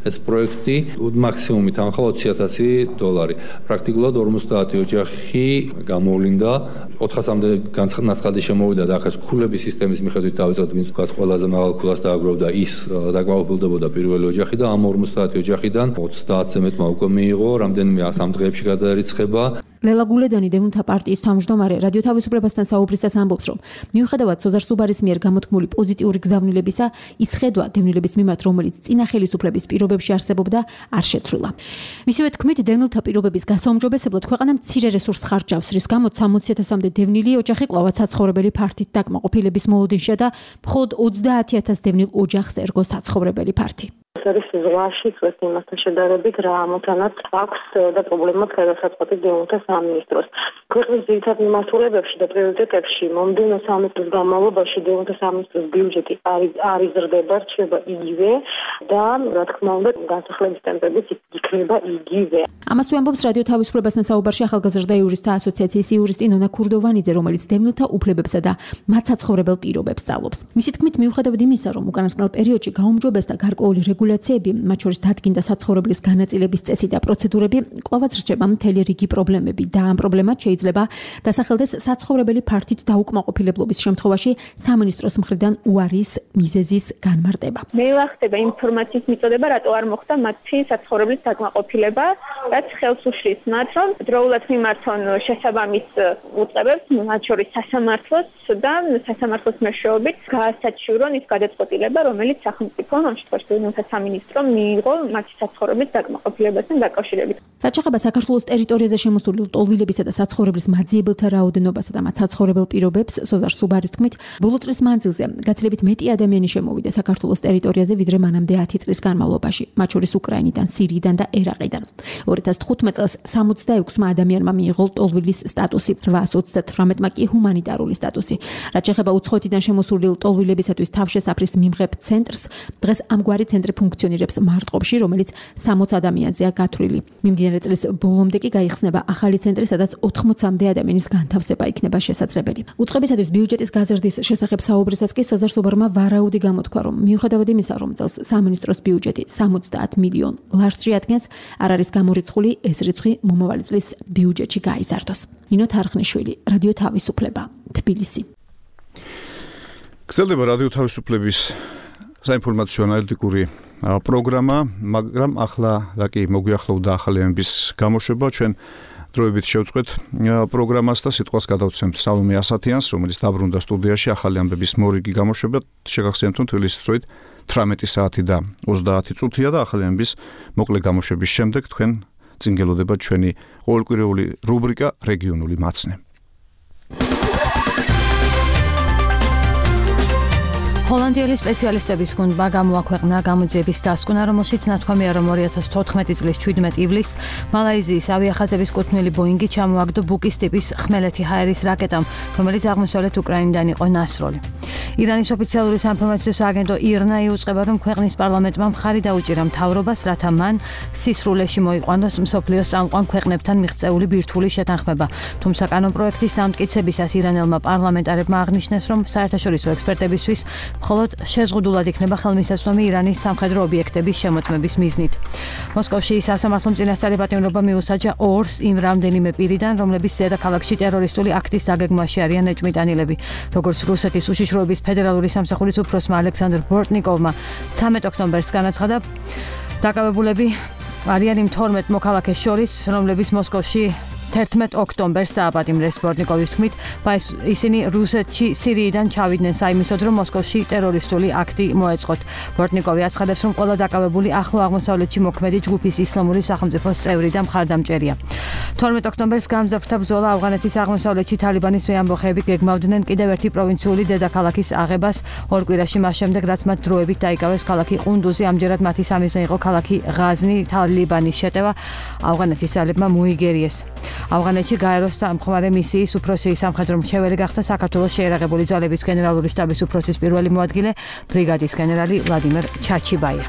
ეს პროექტი, მაქსიმუმი თანხა $20,000. პრაქტიკულად 50 ოჯახი გამოვლინდა, 400-მდე განცხადი შემოვიდა და ახლა ქულების სისტემის მიხედვით დავიწყეთ, ვინც თქვა ყველაზე მაღალ ქულას დააგროვდა, ის დაკმაყოფილდებოდა პირველი ოჯახი და ამ 50 ოჯახიდან 30-ზე მეტმა უკვე მიიღო, რამდენიმე 3 დღეებში გადაერიცხება. ლელა გულედანი დევნილთა პარტიის თავმჯდომარე რადიო თავისუფლებასთან საუბრისას ამბობს, რომ მიუხედავად სოზარ სუბარის მიერ გამოთქმული პოზიტიური გზავნილებისა, ის ხედვა დევნილების მიმართ, რომელიც წინა ხელისუფლების პირობებში არსებობდა, არ შეცვლილა. მისივე თქმით, დევნილთა პირობების გასაუმჯობესებლად ქვეყანა მცირე რესურსს ხარჯავს, რის გამოც 60,000-მდე დევნილი ოჯახი კვლავაც საცხოვრებელი ფართით დაკმაყოფილების მოლოდინშია და მხოლოდ 30,000 დევნილ ოჯახს ერგო საცხოვრებელი ფართი. არის ზღვაში წვეთ იმასთან შედარებით რა ამოთანაც აქვს და პრობლემად გადასაწყვეტი დევნილთა სამინისტროს. ქვეყნის ძირითად მიმართულებებში და პრიორიტეტებში მომდევნო 3 წლის განმავლობაში დევნილთა სამინისტროს ბიუჯეტი არ იზრდება, რჩება იგივე და რა თქმა უნდა განსახლების ტემპებიც იქნება იგივე. ამას ვამბობს რადიო თავისუფლებასთან საუბარში ახალგაზრდა იურისტთა ასოციაციის იურისტი ნონა ქურდოვანიძე, რომელიც დევნილთა უფლებებსა და მათ საცხოვრებელ პირობებს სწავლობს. მისი თქმით, მიუხედავად იმისა, რომ უკანასკნელ პერიოდში გაუმჯობესდა გარკვეული რეგულაციები, მათ შორის დადგინდა საცხოვრებლის განაწილების წესი და პროცედურები, კვლავაც რჩება მთელი რიგი პრობლემები და ამ პრობლემად შეიძლება დასახელდეს საცხოვრებელი ფართით დაუკმაყოფილებლობის შემთხვევაში სამინისტროს მხრიდან უარის მიზეზის განმარტება. მე ვახდება ინფორმაციის მიწოდება, რატო არ მოხდა მათი საცხოვრებლის დაკმაყოფილება, რაც ხელს უშლის მათ, რომ დროულად მიმართონ შესაბამის უწყებებს, მათ შორის სასამართლოს და სასამართლოს მეშვეობით გაასაჩივრონ ის გადაწყვეტილება, რომელიც სახელმწიფო ამ შემთხვევაში დევნილთა სამინისტრომ მიიღო მათი საცხოვრებლის დაკმაყოფილებასთან დაკავშირებით. რაც შეეხება საქართველოს ტერიტორიაზე შემოსული ლტოლვილებისა და საცხოვრებლის მაძიებელთა რაოდენობასა და მათ საცხოვრებელ პირობებს, სოზარ სუბარის თქმით, ბოლო წლის მანძილზე გაცილებით მეტი ადამიანი შემოვიდა საქართველოს ტერიტორიაზე, ვიდრე მანამდე 10 წლის განმავლობაში, მათ შორის უკრაინიდან, სირიიდან და ერაყიდან. 2015 წელს 66-მა ადამიანმა მიიღო ლტოლვილის სტატუსი, 838-მა კი ჰუმანიტარული სტატუსი. რაც შეეხება უცხოეთიდან შემოსული ლტოლვილებისათვის თავშესაფრის მიმღებ ცენტრს, დღეს ამგვარი ცენტრი ფუნქციონირებს მარტყოფში, რომელიც 60 ადამიანზეა გათვლილი. მიმდინარე წლის ბოლომდე კი გაიხსნება ახალი ცენტრი, სადაც 80-მდე ადამიანის განთავსება იქნება შესაძლებელი. უწყებისათვის ბიუჯეტის გაზრდის შესახებ საუბრისას კი სოზარ სუბარმა ვარაუდი გამოთქვა, რომ მიუხედავად იმისა, რომ წელს სამინისტროს ბიუჯეტი 70 მილიონ ლარს შეადგენს, არ არის გამორიცხული ეს რიცხვი მომავალი წლის ბიუჯეტში გაიზარდოს. ნინო თარხნიშვილი, რადიო თავისუფლება, თბილისი. გრძელდება რადიო თავისუფლების საინფორმაციო ანალიტიკური პროგრამა, მაგრამ ახლა კი მოგვიახლოვდა ახალი ამბის გამოშვება. ჩვენ დროებით შევწყვეთ პროგრამას და სიტყვას გადავცემთ სალომე ასათიანს, რომელიც დაბრუნდა სტუდიაში ახალი ამბების მორიგი გამოშვება. შეგახსენებთ, რომ თბილისის დროით 18 საათი და 30 წუთია და ახალი ამბის მოკლე გამოშვების შემდეგ თქვენ წინ გელოდება ჩვენი ყოველკვირეული რუბრიკა რეგიონული მაცნე. ჰოლანდიელი სპეციალისტების გუნდმა გამოაქვეყნა გამოძიების დასკვნა, რომელშიც ნათქვამია, რომ 2014 წლის 17 ივლისს მალაიზიის ავიახაზების კუთვნილი ბოინგი ჩამოაგდო ბუკის ტიპის ხმელეთი ჰაერის რაკეტამ, რომელიც აღმოსავლეთ უკრაინიდან იყო ნასროლი. ირანის ოფიციალური საინფორმაციო სააგენტო ირნა იუწყება, რომ ქვეყნის პარლამენტმა მხარი დაუჭირა მთავრობას, რათა მან სისრულეში მოიყვანოს მსოფლიოს წამყვან ქვეყნებთან მიღწეული ბირთვული შეთანხმება. თუმცა კანონპროექტის დამტკიცებისას ირანელმა პარლამენტარებმა აღნიშნეს, რომ საერთაშორისო ექსპერტებისთვის მხოლოდ შეზღუდულად იქნება ხელმისაწვდომი ირანის სამხედრო ობიექტების შემოწმების მიზნით. მოსკოვში სასამართლომ წინასწარი პატიმრობა მიუსაჯა ორს იმ რამდენიმე პირიდან, რომლებიც დედაქალაქში ტერორისტული აქტის დაგეგმვაში არიან ეჭვმიტანილები. როგორც რუსეთის უშიშროების ფედერალური სამსახურის უფროსმა ალექსანდრ ბორტნიკოვმა 13 ოქტომბერს განაცხადა, დაკავებულები არიან იმ 12 მოქალაქეს შორის, რომლებიც მოსკოვში 11 ოქტომბერს დააპატიმრეს. ბორტნიკოვის თქმით, ისინი რუსეთში სირიიდან ჩავიდნენ საიმისოდ, რომ მოსკოვში ტერორისტული აქტი მოეწყოთ. ბორტნიკოვი აცხადებს, რომ ყველა დაკავებული ახლო აღმოსავლეთში მოქმედი ჯგუფის ისლამური სახელმწიფოს წევრი და მხარდამჭერია. 12 ოქტომბერს გამძაფრდა ბრძოლა ავღანეთის აღმოსავლეთში თალიბანის მეამბოხეები გეგმავდნენ კიდევ ერთი პროვინციული დედაქალაქის აღებას ორ კვირაში მას შემდეგ, რაც მათ დროებით დაიკავეს ქალაქი ყუნდუზი. ამჯერად მათი სამიზნე იყო ქალაქი ღაზნი. თალიბანის შეტევა ავღანეთის ძალებმა მოიგერიეს. ავღანეთში გაეროს დამხმარე მისიის უფროსი სამხედრო მრჩეველი გახდა საქართველოს შეერაღებული ძალების გენერალური შტაბის უფროსის პირველი მოადგილე ბრიგადის გენერალი ვლადიმერ ჩაჩიბაია.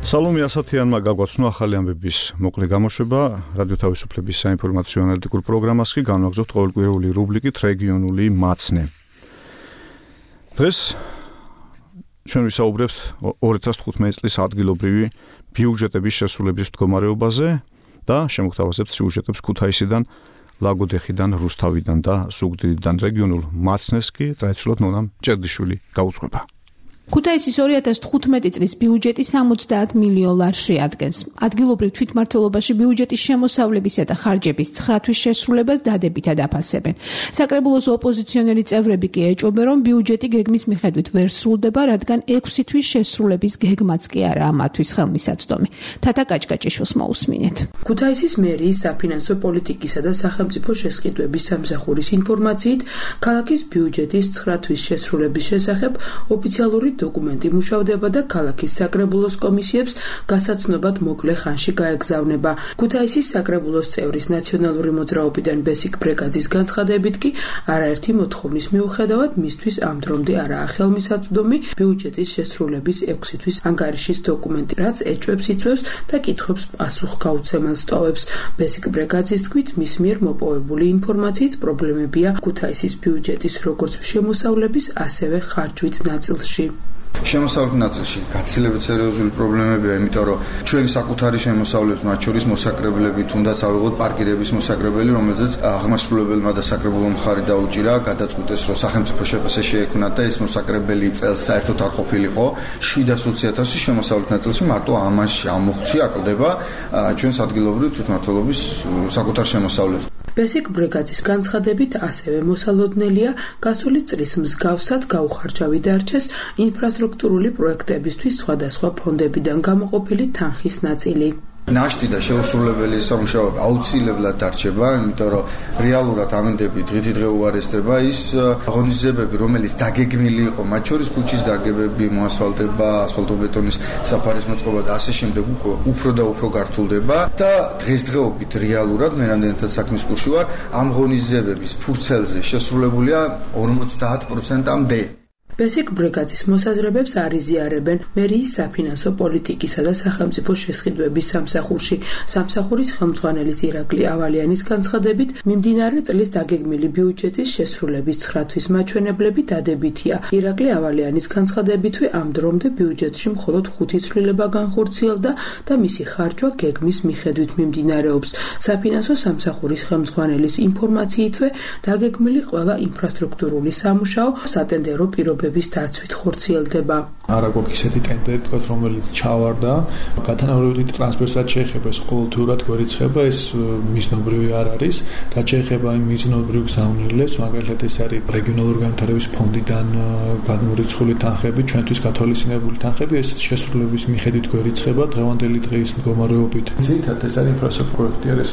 სალომე ასათიანმა გაგვაცნო ახალი ამბების მოკლე გამოშვება. რადიო თავისუფლების საინფორმაციო ანალიტიკურ პროგრამას კი განვაგრძობთ ყოველკვირეული რუბრიკით რეგიონული მაცნე. დღეს ჩვენ ვისაუბრებთ 2015 წლის ადგილობრივი ბიუჯეტების შესრულების მდგომარეობაზე და შემოგთავაზებთ სიუჟეტებს ქუთაისიდან, ლაგოდეხიდან, რუსთავიდან და ზუგდიდიდან. რეგიონულ მაცნეს კი ტრადიციულად ნონა ჭერდიშვილი გაუძღვება. ქუთაისის 2015 წლის ბიუჯეტი 70 მილიონ ლარს შეადგენს. ადგილობრივ თვითმმართველობაში ბიუჯეტის შემოსავლებისა და ხარჯების 9 თვის შესრულებას დადებითად აფასებენ. საკრებულოს ოპოზიციონერი წევრები კი ეჭვობენ, რომ ბიუჯეტი გეგმის მიხედვით ვერ სრულდება, რადგან 6 თვის შესრულების გეგმაც კი არაა მათთვის ხელმისაწვდომი. თათა კაჭკაჭიშვილს მოусმინეთ. ქუთაისის მერიის საფინანსო პოლიტიკისა და სახელმწიფო შესყიდვების სამსახურის ინფორმაციით, ქალაქის ბიუჯეტის 9 თვის შესრულების შესახებ ოფიციალური დოკუმენტი მუშავდება და ქალაქის საკრებულოს კომისიებს გასაცნობად მოკლე ხანში გაეგზავნება. ქუთაისის საკრებულოს წევრის ნაციონალური მოძრაობიდან ბესიკ ბრეკაძის განცხადებით კი არაერთი მოთხოვნის მიუხედავად მისთვის ამ დრომდე არაა ხელმისაწვდომი ბიუჯეტის შესრულების 6 თვის ანგარიშის დოკუმენტი, რაც ეჭვებს იწვევს და კითხვებს პასუხგაუცემელს ტოვებს. ბესიკ ბრეკაძის თქმით, მის მიერ მოპოვებული ინფორმაციით პრობლემებია ქუთაისის ბიუჯეტის როგორც შემოსავლების, ასევე ხარჯვით ნაწილში. შემოსავლების ნაწილში გაცილებით სერიოზული პრობლემებია, იმიტომ რომ ჩვენი საკუთარი შემოსავლების, მათ შორის მოსაკრებლები, თუნდაც ავიღოთ პარკირების მოსაკრებელი, რომელზეც აღმასრულებელმა და საკრებულო მხარი დაუჭირა, გადაწყვიტეს, რომ სახელმწიფო შეფასება შეექმნათ და ეს მოსაკრებელი წელს საერთოდ არ ყოფილიყო. 720,000 შემოსავლების ნაწილში მარტო ამაში ამოხში აკლდება ჩვენს ადგილობრივ თვითმმართველობის საკუთარ შემოსავლებს. ბესიკ ბრეკაძის განცხადებით ასევე მოსალოდნელია გასული წლის მსგავსად გაუხარჯავი დარჩეს ინფრასტრუქტურული პროექტებისთვის სხვადასხვა ფონდებიდან გამოყოფილი თანხის ნაწილი. ნაშთი და შეუსრულებელი სამუშაოები აუცილებლად დარჩება, იმიტომ რომ რეალურად ამინდები დღითიდღე უარესდება ის აღონიზებები, რომელიც დაგეგმილი იყო, მათ შორის ქუჩის დაგებები, მოასფალტება, ასფალტობეტონის საფარის მოწყობა და ასე შემდეგ უფრო და უფრო გართულდება და დღესდღეობით რეალურად მე რამდენადაც საქმის კურსში ვარ, ამ ღონიზებების ფურცელზე შესრულებულია 50%-მდე. ბესიკ ბრეკაძის მოსაზრებებს არ იზიარებენ მერიის საფინანსო პოლიტიკისა და სახელმწიფო შესყიდვების სამსახურში. სამსახურის ხელმძღვანელის ირაკლი ავალიანის განცხადებით, მიმდინარე წლის დაგეგმილი ბიუჯეტის შესრულების 9 თვის მაჩვენებლები დადებითია. ირაკლი ავალიანის განცხადებითვე ამ დრომდე ბიუჯეტში მხოლოდ 5 ცვლილება განხორციელდა და მისი ხარჯვა გეგმის მიხედვით მიმდინარეობს. საფინანსო სამსახურის ხელმძღვანელის ინფორმაციითვე დაგეგმილი ყველა ინფრასტრუქტურული სამუშაო სატენდერო პირობებში განყოფების დაცვით ხორციელდება. არა გვაქვს ისეთი ტენდერი, თქვათ, რომელიც ჩავარდა, გათანაბრებითი ტრანსფერსაც შეეხება ეს ყოველთვიურად გვერიცხება, ეს მიზნობრივი არ არის, რაც შეეხება იმ მიზნობრივ გზავნილებს, მაგალითად ეს არის რეგიონალური განვითარების ფონდიდან გადმორიცხული თანხები, ჩვენთვის გათვალისწინებული თანხები, ეს შესრულების მიხედვით გვერიცხება დღევანდელი დღის მდგომარეობით. ძირითადად ეს არის ინფრასტრუქტურული პროექტი, არის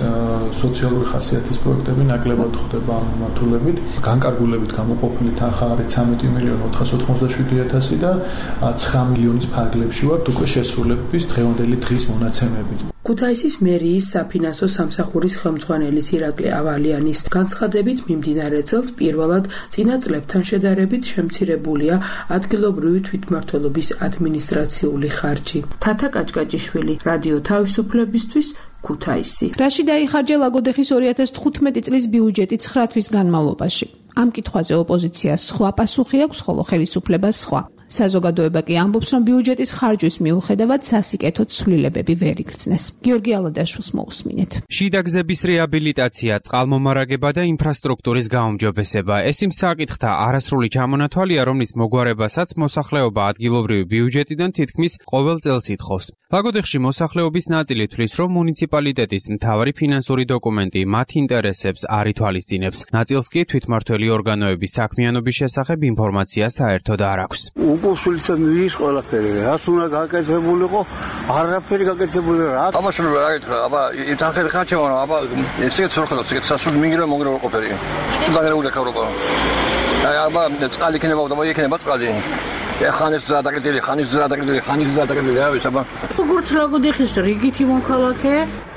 სოციალური ხასიათის პროექტები, ნაკლებად ხდება ამ მიმართულებით. განკარგულებით გამოყოფილი თანხა არის 13.487.000 და 9 მილიონის ფარგლებში ვართ უკვე შესრულების დღევანდელი დღის მონაცემებით. ქუთაისის მერიის საფინანსო სამსახურის ხელმძღვანელის ირაკლი ავალიანის განცხადებით მიმდინარე წელს პირველად წინა წლებთან შედარებით შემცირებულია ადგილობრივი თვითმმართველობის ადმინისტრაციული ხარჯი. თათა კაჭკაჭიშვილი, რადიო თავისუფლებისთვის, ქუთაისი. რაში დაიხარჯა ლაგოდეხის 2015 წლის ბიუჯეტი 9 თვის განმავლობაში? ამ კითხვაზე ოპოზიციას სხვა პასუხი აქვს, ხოლო ხელისუფლებას სხვა. საზოგადოება კი ამბობს, რომ ბიუჯეტის ხარჯვის მიუხედავად სასიკეთო ცვლილებები ვერ იგრძნეს. გიორგი ალადაშვილს მოусმინეთ. შიდა გზების რეაბილიტაცია, წყალმომარაგება და ინფრასტრუქტურის გაუმჯობესება. ეს იმ საკითხთა არასრული ჩამონათვალია, რომლის მოგვარებასაც მოსახლეობა ადგილობრივი ბიუჯეტიდან თითქმის ყოველ წელს ითხოვს. ლაგოდეხში მოსახლეობის ნაწილი თვლის, რომ მუნიციპალიტეტის მთავარი ფინანსური დოკუმენტი მათ ინტერესებს არ ითვალისწინებს. ნაწილს კი თვითმმართველი ორგანოების საქმიანობის შესახებ ინფორმაცია საერთოდ არ აქვს. უკუსულისა მის ყველაფერი რას უნდა გაკეთებულიყო არაფერი გაკეთებული რა აბაშენ რა ეკითხა აბა ითანხეთ ხაჩევა აბა ესეც ორხოდა ესეც სასურვ მინგრა მონგრა ყოფილი დაგერეული ქავრობა აბა წყალი ქნება და მოიქნება წყალი ხანის ზადაგდილი ხანის ზადაგდილი ავი საბა როგორც ლაგოდეხის რიგითი მოქალაქე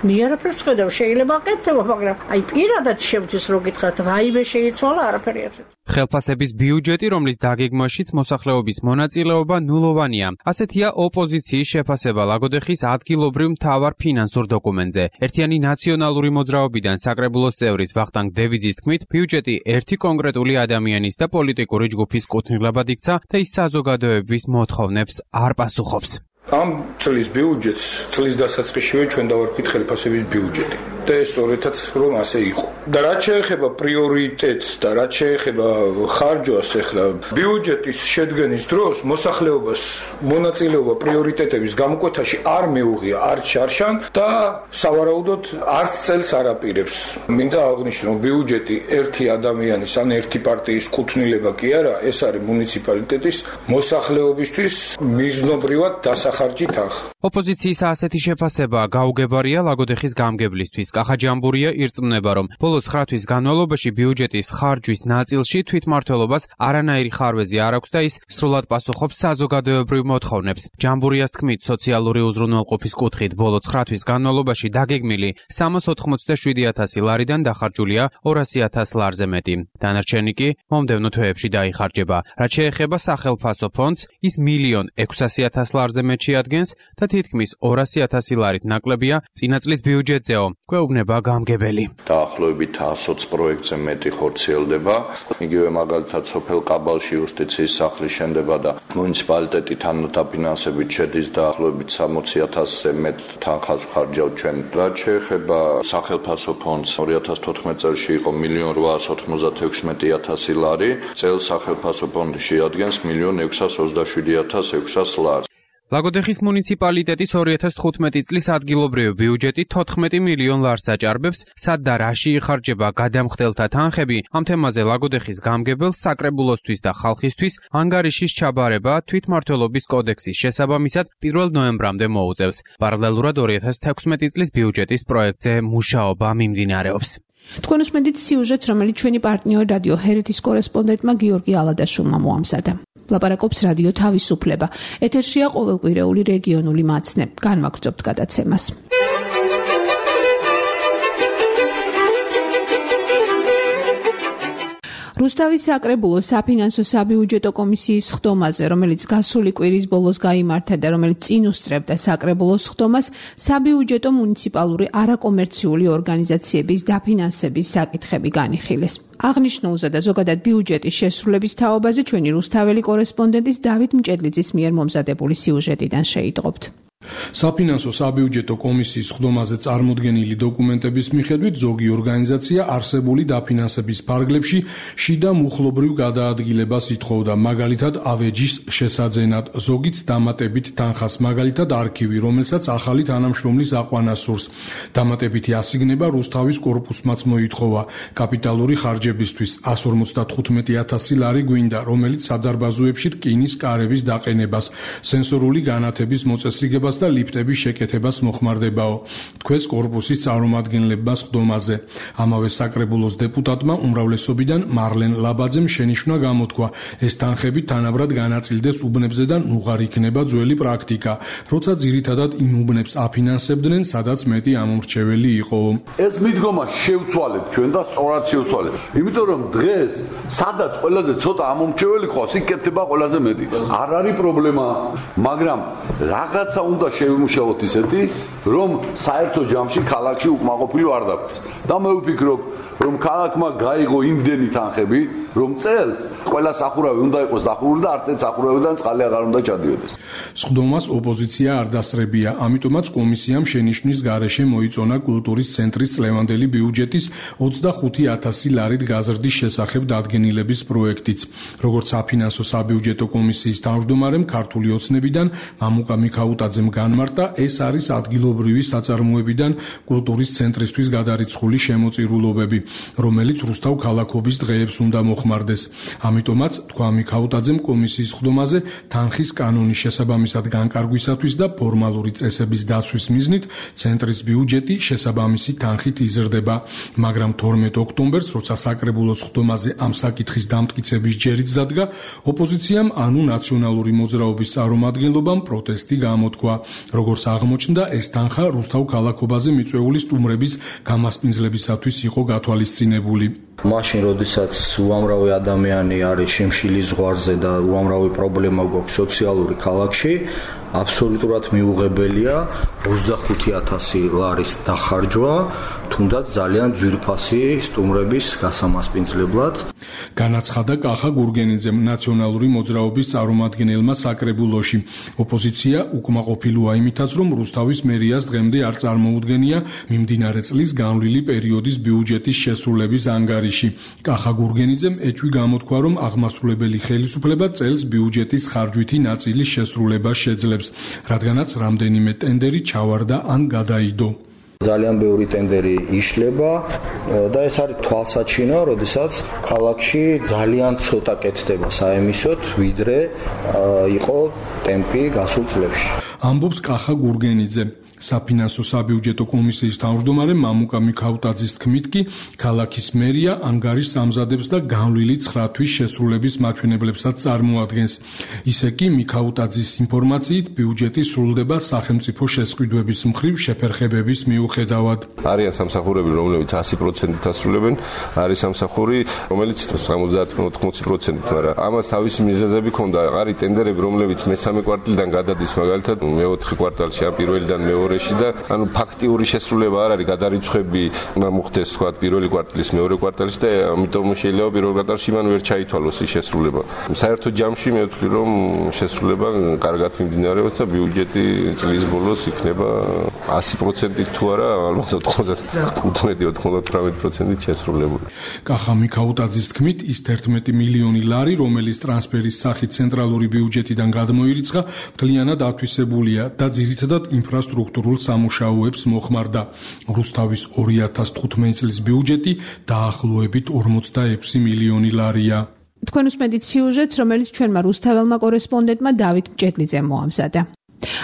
მე არაფერს ხედავ შეიძლება აკეთება მაგრამ აი პირადად შევთვის რო გითხრათ რაიმე შეიცვალა არაფერი არ ხელფასების ბიუჯეტი, რომლის დაგეგმვაშიც მოსახლეობის მონაწილეობა ნულოვანია. ასეთია ოპოზიციის შეფასება ლაგოდეხის ადგილობრივ მთავარ ფინანსურ დოკუმენტზე. ერთიანი ნაციონალური მოძრაობიდან საკრებულოს წევრის ვახტანგ დევიძის თქმით, ბიუჯეტი ერთი კონკრეტული ადამიანის და პოლიტიკური ჯგუფის კუთვნილებად იქცა და ის საზოგადოების მოთხოვნებს არ პასუხობს. ამ წლის ბიუჯეტს წლის დასაწყისშივე ჩვენ დავარქვით ხელფასების ბიუჯეტი და ეს სწორედაც რომ ასე იყო. და რაც შეეხება პრიორიტეტს და რაც შეეხება ხარჯვას ახლა ბიუჯეტის შედგენის დროს მოსახლეობას მონაწილეობა პრიორიტეტების გამოკვეთაში არ მეუღია არც შარშან და სავარაუდოდ არც წელს არ აპირებს. მინდა აღნიშნო რომ ბიუჯეტი ერთი ადამიანის ან ერთი პარტიის კუთვნილება კი არა, ეს არის მუნიციპალიტეტის მოსახლეობისთვის მიზნობრივად დასახარჯი თანხა. ოპოზიციის ასეთი შეფასება გაუგებარია ლაგოდეხის გამგებლისთვის. კახაჯამბურია ირწმუნება, რომ ბოლო 9 თვის განმავლობაში ბიუჯეტის ხარჯვის ნაწილში თვითმმართველობას არანაირი ხარვეზი არ აქვს და ის სრულად პასუხობს საზოგადოებრივ მოთხოვნებს. ჯამბურიას თქმით, სოციალური უზრუნველყოფის კუთხით ბოლო 9 თვის განმავლობაში დაგეგმილი 387.000 ლარიდან დახარჯულია 200.000 ლარზე მეტი. დანარჩენი კი მომდევნო თვეებში დაიხარჯება. რაც შეეხება სახელმწიფო ფონდს, ის 1.600.000 ლარზე მეტ შეადგენს და თითქმის 200.000 ლარით ნაკლებია წინა წლის ბიუჯეტზეო. გვეუბნება გამგებელი. დაახლოებით 120 პროექტზე მეტი ხორციელდება. იგივე მაგალითად სოფელ ყაბალში იუსტიციის სახლი შენდება და მუნიციპალიტეტი თანადაფინანსებით შედის დაახლოებით 60.000-ზე მეტ თანხას ხარჯავთ ჩვენ. რაც შეეხება სახელმწიფო ფონდს 2014 წელს იყო 1.896.000 ლარი. წელს სახელმწიფო ფონდი შეადგენს 1.627.600 ლარს. ლაგოდეხის მუნიციპალიტეტის 2015 წლის ადგილობრივი ბიუჯეტი 14 მილიონ ლარს აჭარბებს, სად და რაში იხარჯება გადამხდელთა თანხები. ამ თემაზე ლაგოდეხის გამგებელს საკრებულოსთვის და ხალხისთვის ანგარიშის ჩაბარება თვითმმართველობის კოდექსის შესაბამისად 1 ნოემბრამდე მოუწევს. პარალელურად 2016 წლის ბიუჯეტის პროექტზე მუშაობა მიმდინარეობს. თქვენ უსმენთ სიუჟეტს, რომელიც ჩვენი პარტნიორი რადიო ჰერეთის კორესპონდენტმა გიორგი ალადაშვილმა მოამზადა. ლაპარაკობს რადიო თავისუფლება. ეთერშია ყოველკვირეული რეგიონული მაცნე. განვაგრძობთ გადაცემას. რუსთავის საკრებულოს საფინანსო საბიუჯეტო კომისიის ხდომაზე, რომელიც გასული კვირის ბოლოს გაიმართა და რომელიც წინ უსწრებდა საკრებულოს ხდომას, საბიუჯეტო მუნიციპალური არაკომერციული ორგანიზაციების დაფინანსების საკითხები განიხილეს. აღნიშნულზე და ზოგადად ბიუჯეტის შესრულების თაობაზე ჩვენი რუსთაველი კორესპონდენტის დავით მჭედლიძის მიერ მომზადებული სიუჟეტიდან შეიტყობთ. საფინანსო საბიუჯეტო კომისიის ხდომაზე წარმოდგენილი დოკუმენტების მიხედვით ზოგი ორგანიზაცია არსებული დაფინანსების ფარგლებში შიდა მუხლობრივ გადაადგილებას ითხოვდა, მაგალითად ავეჯის შესაძენად, ზოგიც დამატებით თანხას, მაგალითად არქივი, რომელსაც ახალი თანამშრომლის აყვანა სურს. დამატებითი ასიგნება რუსთავის კორპუსმაც მოითხოვა. კაპიტალური ხარჯებისთვის 155,000 ლარი გვინდა, რომელიც სადარბაზოებში რკინის კარების დაყენებას, სენსორული განათების მოწესრიგებას და ლიფტების შეკეთებას მოხმარდებაო. თქვენს კორპუსის წარმომადგენლებმა ხდომაზე. ამავე საკრებულოს დეპუტატმა უმრავლესობიდან მარლენ ლაბაძემ შენიშვნა გამოთქვა, ეს თანხები თანაბრად განაწილდეს უბნებზე და ნუღარ იქნება ძველი პრაქტიკა, როცა ძირითადად იმ უბნებს აფინანსებდნენ, სადაც მეტი ამომრჩეველი იყო. ეს მიდგომა შევცვალეთ ჩვენ და სწორად შევცვალეთ. იმიტომ რომ დღეს სადაც ყველაზე ცოტა ამომრჩეველი ყავს, იქ კეთდება ყველაზე მეტი. არ არის პრობლემა, მაგრამ რაღაცა უნდა შევიმუშაოთ ისეთი, რომ საერთო ჯამში ქალაქში უკმაყოფილი არ დაგვრჩეს. და მე ვფიქრობ, რომ ქალაქმა გაიღო იმდენი თანხები, რომ წელს ყველა სახურავი უნდა იყოს დახურული და არც ერთ სახურავიდან წყალი აღარ უნდა ჩადიოდეს. სხდომას ოპოზიცია არ დასწრებია, ამიტომაც კომისიამ შენიშვნის გარეშე მოიწონა კულტურის ცენტრის წლევანდელი ბიუჯეტის 25,000 ლარით გაზრდის შესახებ დადგენილების პროექტიც. როგორც საფინანსო საბიუჯეტო კომისიის თავმჯდომარემ ქართული ოცნებიდან მამუკა მიქაუტაძემ განმარტა, ეს არის ადგილობრივი საწარმოებიდან კულტურის ცენტრისთვის გადარიცხული შემოწირულობები, რომელიც რუსთავ ქალაქობის დღეებს უნდა მოხმარდეს. ამიტომაც, თქვა მიქაუტაძემ კომისიის ხდომაზე თანხის კანონის შესაბამისად განკარგვისათვის და ფორმალური წესების დაცვის მიზნით ცენტრის ბიუჯეტი შესაბამისი თანხით იზრდება, მაგრამ 12 ოქტომბერს, როცა საკრებულოს ხდომაზე ამ საკითხის დამტკიცების ჯერიც დადგა, ოპოზიციამ ანუ ნაციონალური მოძრაობის წარმომადგენლობამ პროტესტი გამოთქვა. როგორც აღმოჩნდა, ეს თანხა რუსთავ ქალაქობაზე მიწვეული სტუმრების გამასპინძლებისათვის იყო გათვალისწინებული. მაშინ, როდესაც უამრავი ადამიანი არის შიმშილის ზღვარზე და უამრავი პრობლემა გვაქვს სოციალური ქალაქში, აბსოლუტურად მიუღებელია 25,000 ლარის დახარჯვა, თუნდაც ძალიან ძვირფასი სტუმრების გასამასპინძლებლად. განაცხადა კახა გურგენიძემ, ნაციონალური მოძრაობის წარმომადგენელმა საკრებულოში. ოპოზიცია უკმაყოფილოა იმითაც, რომ რუსთავის მერიას დღემდე არ წარმოუდგენია მიმდინარე წლის განვლილი პერიოდის ბიუჯეტის შესრულების ანგარიში. კახა გურგენიძემ ეჭვი გამოთქვა, რომ აღმასრულებელი ხელისუფლება წელს ბიუჯეტის ხარჯვითი ნაწილის შესრულებას შეძლებს, რადგანაც რამდენიმე ტენდერი ჩავარდა ან გადაიდო. ძალიან ბევრი ტენდერი იშლება და ეს არის თვალსაჩინო, როდესაც ქალაქში ძალიან ცოტა კეთდება საემისოდ, ვიდრე იყო ტემპი გასულ წლებში. ამბობს კახა გურგენიძე. საფინანსო საბიუჯეტო კომისიის თავმჯდომარე მამუკა მიქაუტაძის თქმით კი, ქალაქის მერია ანგარიშს ამზადებს და განვლილი 9 თვის შესრულების მაჩვენებლებსაც წარმოადგენს. ისე კი მიქაუტაძის ინფორმაციით, ბიუჯეტი სრულდება სახელმწიფო შესყიდვების მხრივ შეფერხებების მიუხედავად. არიან სამსახურები, რომლებიც 100%-ით ასრულებენ, არის სამსახური, რომელიც 70-80%-ით, მაგრამ ამას თავისი მიზეზები ჰქონდა. არის ტენდერები, რომლებიც მესამე კვარტალიდან გადადის, მაგალითად, მე-4 კვარტალში, პირველიდან მე-2 და ანუ ფაქტიური შესრულება არ არის, გადარიცხვები უნდა მოხდეს თქვა პირველი კვარტალის მეორე კვარტალში და ამიტომ შეიძლება პირველ კვარტალში მან ვერ ჩაითვალოს ის შესრულება. საერთო ჯამში მე ვთვლი, რომ შესრულება კარგად მიმდინარეობს და ბიუჯეტი წლის ბოლოს იქნება 100%-ით თუ არა, ალბათ 95-98%-ით შესრულებული. კახა მიქაუტაძის თქმით, ის 11 მილიონი ლარი, რომელიც ტრანსფერის სახით ცენტრალური ბიუჯეტიდან გადმოირიცხა, მთლიანად ათვისებულია და ძირითადად ინფრასტრუქტურულ სამუშაოებს მოხმარდა. რუსთავის 2015 წლის ბიუჯეტი დაახლოებით 46 მილიონი ლარია. თქვენ უსმენთ სიუჟეტს, რომელიც ჩვენმა რუსთაველმა კორესპონდენტმა დავით მჭედლიძემ მოამზადა.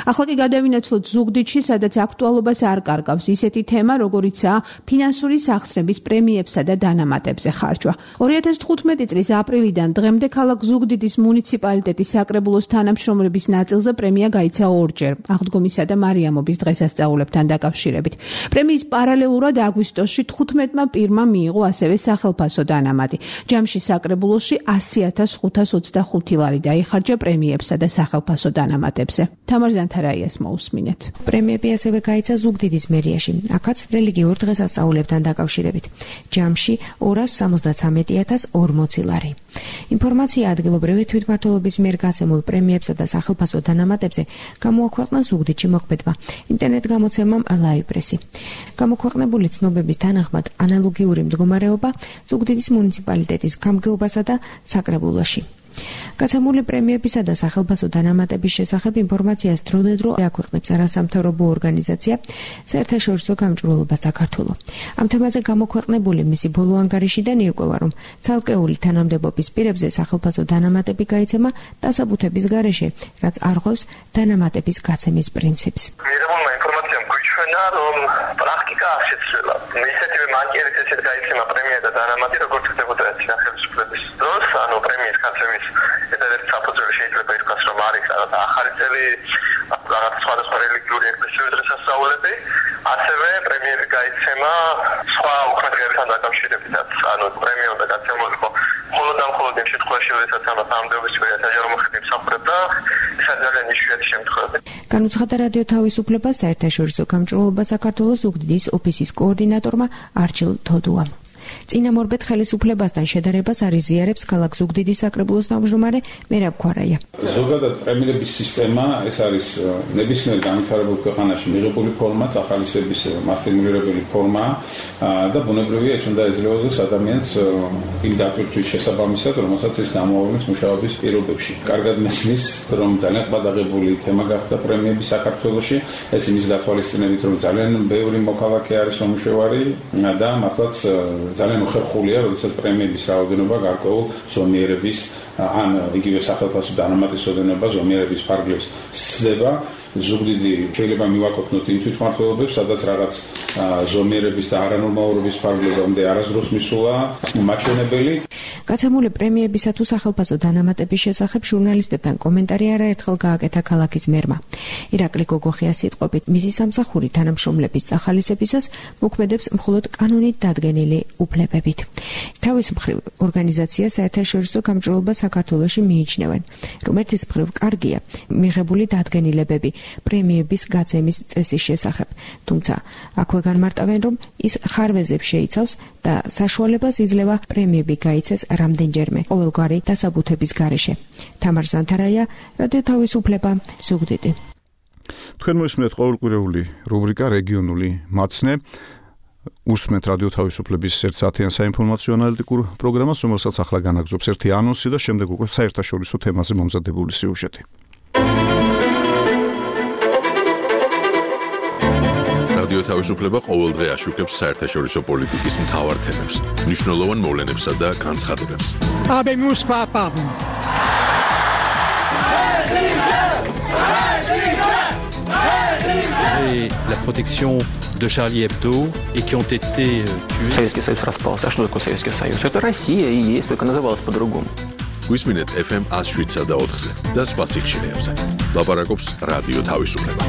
ახლა კი გადავინაცვლოთ ზუგდიდში, სადაც აქტუალობას არ კარგავს ისეთი თემა, როგორიცაა ფინანსური სახსრების პრემიებსა და დანამატებზე ხარჯვა. 2015 წლის აპრილიდან დღემდე ქალაქ ზუგდიდის მუნიციპალიტეტის საკრებულოს თანამშრომლების ნაწილზე პრემია გაიცა ორჯერ, აღდგომისა და მარიამობის დღესასწაულებთან დაკავშირებით. პრემიის პარალელურად აგვისტოში 15-მა პირმა მიიღო ასევე სახელფასო დანამატი. ჯამში საკრებულოში 100,525 ლარი დაიხარჯა პრემიებსა და სახელფასო დანამატებზე. თამარ ზანთარაიას მოусმინეთ. პრემიები ასევე გაიცა ზუგდიდის მერიაში. აქაც რელიგიურ დღესასწაულებთან დაკავშირებით. ჯამში 273,040 ლარი. ინფორმაცია ადგილობრივი თვითმმართველობის მიერ გაცემულ პრემიებსა და სახელფასო დანამატებზე გამოაქვეყნა ზუგდიდში მოქმედმა ინტერნეტ გამოცემამ Live Press-ი. გამოქვეყნებული ცნობების თანახმად ანალოგიური მდგომარეობა ზუგდიდის მუნიციპალიტეტის გამგეობასა და საკრებულოში. გაცემული პრემიებისა და სახელფასო დანამატების შესახებ ინფორმაციას დროდადრო აქვეყნებს არასამთავრობო ორგანიზაცია საერთაშორისო გამჭვირვალობა საქართველო. ამ თემაზე გამოქვეყნებული მისი ბოლო ანგარიშიდან ირკვევა, რომ ცალკეული თანამდებობის პირებზე სახელფასო დანამატები გაიცემა დასაბუთების გარეშე, რაც არ ღვევს დანამატების გაცემის პრინციპს. მიღებულმა ინფორმაციამ გვიჩვენა, რომ პრაქტიკა არ შეცვლილა. ისეთივე მანკიერით ესეთ გაიცემა პრემია და დანამატი, როგორც ხდებოდა ხელისუფლების დროს, ანუ პრემიის გაცემის ერთ-ერთი საფუძველი შეიძლება ითქვას, რომ არის ახალი წელი, რაღაც სხვადასხვა რელიგიური ეკლესიური დღესასწაულები, ასევე პრემიები გაიცემა სხვა უქმეთგებებთან დაკავშირებითაც, ანუ პრემია უნდა გაცემულიყო მხოლოდ ამ შემთხვევაში, როდესაც ამას ამდეობის პირად საჯარო მოხდი მსახურობდა, ეს ძალიან იშვიათი შემთხვევები. განუცხადა რადიო თავისუფლება საერთაშორისო გამჭვირვალობა საქართველოს ზუგდიდის ოფისის კოორდინატორმა არჩილ თოდუამ. წინამორბედ ხელისუფლებასთან შედარებას არიზიარებს ქალაქ ზუგდიდის საკრებულოს თავმჯდომარე მერაბ ქვარაია. ზოგადად პრემიების სისტემა ეს არის ნებისმიერ განვითარებულ ქვეყანაში მიღებული ფორმა, წახალისების მასტიმულირებელი ფორმა და ბუნებრივია ეს უნდა ეძლეოს ადამიანს იმ დატვირთვის შესაბამისად, რომელსაც ის გამოავლენს მუშაობის პირობებში. კარგად მესმის, რომ ძალიან ყბადაღებული თემა გახდა პრემიები საქართველოში, ეს იმის გათვალისწინებით, რომ ძალიან ბევრი მოქალაქე არის მომუშავარი და მართლაც ძალიან უხერხულია, როდესაც პრემიების რაოდენობა გარკვეულ ზომიერების ან იგივე სახელფასო დანამატის ოდენობა ზომიერების ფარგლებს სცდება. ზუგდიდი შეიძლება მივაკუთვნოთ იმ თვითმმართველობებს, სადაც რაღაც ზომიერების და არანორმალურობის ფარგლებამდე არასდროს მისულა მაჩვენებელი. გაცემული პრემიებისა თუ სახელფასო დანამატების შესახებ ჟურნალისტებთან კომენტარი არაერთხელ გააკეთა ქალაქის მერმა. ირაკლი გოგოხია სიტყვებით მისი სამსახური თანამშრომლების წახალისებისას მოქმედებს მხოლოდ კანონით დადგენილი უფლებებით. თავის მხრივ ორგანიზაცია საერთაშორისო გამჭვირვალობა საქართველოში მიიჩნევენ, რომ ერთის მხრივ კარგია მიღებული დადგენილებები პრემიების გაცემის წესის შესახებ, თუმცა აქვე განმარტავენ, რომ ის ხარვეზებს შეიცავს და საშუალებას იძლევა პრემიები გაიცეს რამდენჯერმე ყოველგვარი დასაბუთების გარეშე. თამარ ზანთარაია, რადიო თავისუფლება, ზუგდიდი. თქვენ მოისმენთ ყოველკვირეული რუბრიკა რეგიონული მაცნე. უსმენთ რადიო თავისუფლების 1 საათიან საინფორმაციო ანალიტიკურ პროგრამას, რომელსაც ახლა განაგზობს ერთი ანონსი და შემდეგ უკვე საერთაშორისო თემაზე მომზადებული სიუჟეტი. რადიო თავისუფლება ყოველდღე აშუქებს საერთაშორისო პოლიტიკის მთავარ თემებს, მნიშვნელოვან მოვლენებსა და განცხადებებს. La protection de Charlie Hebdo et qui ont été tués. Советский Союз распался. А что такое Советский Союз? Это Россия и есть, только называлась по-другому. Გვისმინეთ FM 107 და 4-ზე და სხვა სიხშირეებზე. ლაპარაკობს რადიო თავისუფლება.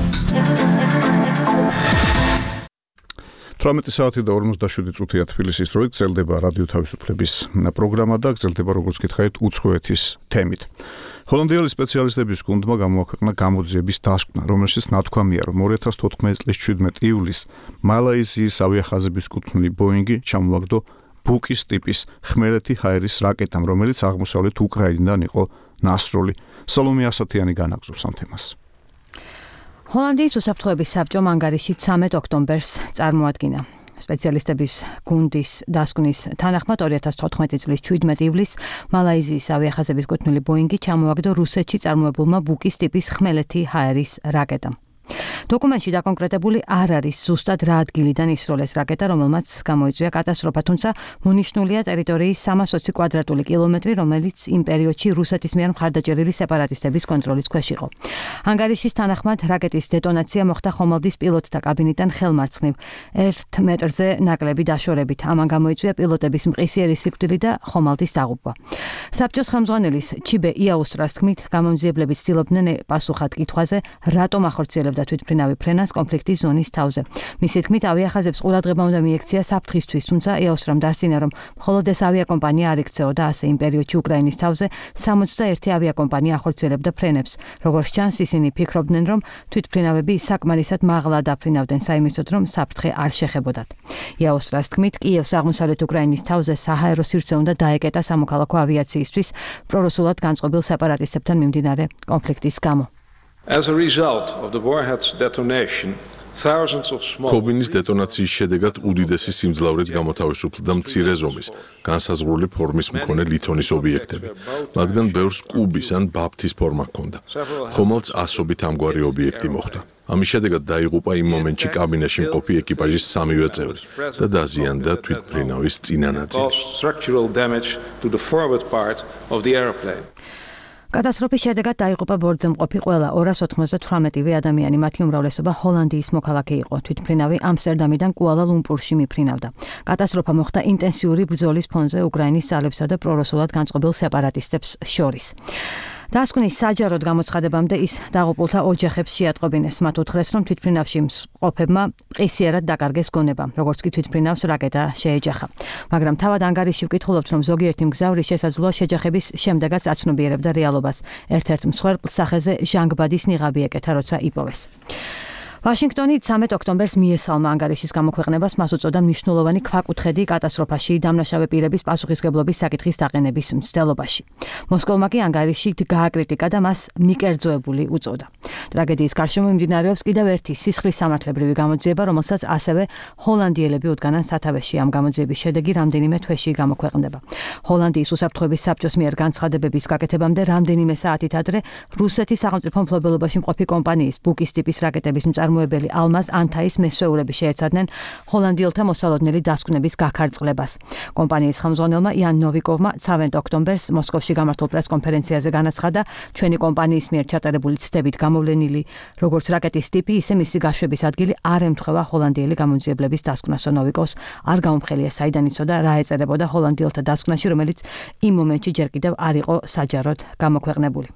18 საათი და 47 წუთია თბილისის დროით გრძელდება რადიო თავისუფლების პროგრამა და გრძელდება როგორც გითხარით უცხოეთის თემით. ჰოლანდიელი სპეციალისტების გუნდმა გამოაქვეყნა გამოძიების დასკვნა, რომელშიც ნათქვამია, რომ 2014 წლის 17 ივლისს მალაიზიის ავიახაზების კუთვნილი ბოინგი ჩამოვაგდო ბუკის ტიპის ხმელეთი ჰაერის რაკეტამ, რომელიც აღმოსავლეთ უკრაინიდან იყო ნასროლი. სალომე ასათიანი განაგზობს ამ თემას. ჰოლანდიის უსაფრთხოების საბჭომ ანგარიში 13 ოქტომბერს წარმოადგინა. სპეციალისტების გუნდის დასკვნის თანახმად 2014 წლის 17 ივლისს მალაიზიის ავიახაზების კუთვნილი ბოინგი ჩამოვაგდო რუსეთში წარმოებულმა ბუკის ტიპის ხმელეთი ჰაერის რაკეტამ. დოკუმენტში დაკონკრეტებული არ არის ზუსტად რა ადგილიდან ისროლეს რაკეტა, რომელმაც გამოიწვია კატასტროფა, თუმცა მონიშნულია ტერიტორიის 320 კვადრატული კილომეტრი, რომელიც იმ პერიოდში რუსეთის მიერ მხარდაჭერილი სეპარატისტების კონტროლის ქვეშ იყო. ანგარიშის თანახმად რაკეტის დეტონაცია მოხდა ხომალდის პილოტთა კაბინიდან ხელმარცხნივ 1 მეტრზე ნაკლები დაშორებით. ამან გამოიწვია პილოტების მყისიერი სიკვდილი და ხომალდის დაღუპვა. საბჭოს ხელმძღვანელის ჩიბე იაუსტრას თქმით, გამომძიებლები ცდილობდნენ პასუხად კითხვაზე, რატომ ახორციელებს აწევდა თვითმფრინავი ფრენას კონფლიქტის ზონის თავზე. მისი თქმით, ავიახაზებს ყურადღება უნდა მიექცია საფრთხისთვის, თუმცა ეოსრამ დასცინა, რომ მხოლოდ ეს ავიაკომპანია არ იქცეოდა ასე იმ პერიოდში უკრაინის თავზე 61 ავიაკომპანია ახორციელებდა ფრენებს. როგორც ჩანს, ისინი ფიქრობდნენ, რომ თვითმფრინავები საკმარისად მაღლა დაფრინავდნენ საიმედოდ, რომ საფრთხე არ შეხებოდათ. ეოსრას თქმით, კიევს აღმოსავლეთ უკრაინის თავზე საჰაერო სივრცე უნდა დაეკეტა სამოქალაქო ავიაციისთვის პრორუსულად განწყობილ სეპარატისტებთან მიმდინარე კონფლიქტის გამო. As a result of the warhead's detonation, thousands of small კობინის დეტონაციის შედეგად უდიდესი სიმძლავრით გამოთავისუფლდა მცირე ზომის, განსაზღვრული ფორმის მქონე ლითონის ობიექტები, მათგან ბევრს კუბის ან ბაფთის ფორმა ჰქონდა. ხომალდს ასობით ამგვარი ობიექტი მოხვდა. ამის შედეგად დაიღუპა იმ მომენტში კაბინაში მყოფი ეკიპაჟის 3-ვე წევრი და დაზიანდა თვითმფრინავის წინა ნაწილი. კატასტროფის შედეგად დაიღუპა ბორტზე მყოფი ყველა 298 ადამიანი, მათი უმრავლესობა ჰოლანდიის მოქალაქე იყო. თვითმფრინავი ამსტერდამიდან კუალა-ლუმპურში მიფრინავდა. კატასტროფა მოხდა ინტენსიური ბრძოლის ფონზე უკრაინის ძალებსა და პრორუსულად განწყობილ სეპარატისტებს შორის. დასკვნის საჯაროდ გამოცხადებამდე ის დაღუპულთა ოჯახებს შეატყობინეს. მათ უთხრეს, რომ თვითმფრინავში მსყოფებმა ყისიერად დაკარგეს გონება, როგორც კი თვითმფრინავს რაკეტა შეეჯახა. მაგრამ თავად ანგარიში ვკითხულობთ, რომ ზოგიერთი მგზავრი შესაძლოა შეჯახების შემდეგაც აცნობიერებდა რეალობას. ერთ-ერთ მსხვერპლს სახეზე ჟანგბადის ნიღაბი ეკეთა, როცა იპოვეს. ვაშინგტონი 13 ოქტომბერს მიესალმა ანგარიშის გამოქვეყნებას, მას უწოდა მნიშვნელოვანი ქვაკუთხედი კატასტროფაში დამნაშავე პირების პასუხისგებლობის საკითხის დაყენების მცდელობაში. მოსკოვმა კი ანგარიში გააკრიტიკა და მას მიკერძოებული უწოდა. ტრაგედიის გარშემო მიმდინარეობს კიდევ ერთი სისხლის სამართლებრივი გამოძიება, რომელსაც ასევე ჰოლანდიელები უდგანან სათავეში. ამ გამოძიების შედეგი რამდენიმე თვეში გამოქვეყნდება. ჰოლანდიის უსაფრთხოების საბჭოს მიერ განცხადებების გაკეთებამდე რამდენიმე საათით ადრე რუსეთის სახელმწიფო მფლობელობაში მყოფი კომპანიის ბუკის ტიპის რაკეტების მწარმოებელი ალმაზ ანტაის მესვეულები შეეცადნენ ჰოლანდიელთა მოსალოდნელი დასკვნების გაქარწყლებას. კომპანიის ხელმძღვანელმა იან ნოვიკოვმა 13 ოქტომბერს მოსკოვში გამართულ პრესკონფერენციაზე განაცხადა, ჩვენი კომპანიის მიერ ჩატარებული ცდებით გამოვლენილი როგორც რაკეტის ტიპი, ისე მისი გაშვების ადგილი არ ემთხვევა ჰოლანდიელი გამოძიებლების დასკვნას. ნოვიკოვს არ გამომხელია საიდან იცოდა რა ეწერებოდა ჰოლანდიელთა დასკვნაში, რომელიც იმ მომენტში ჯერ კიდევ არ იყო საჯაროდ გამოქვეყნებული.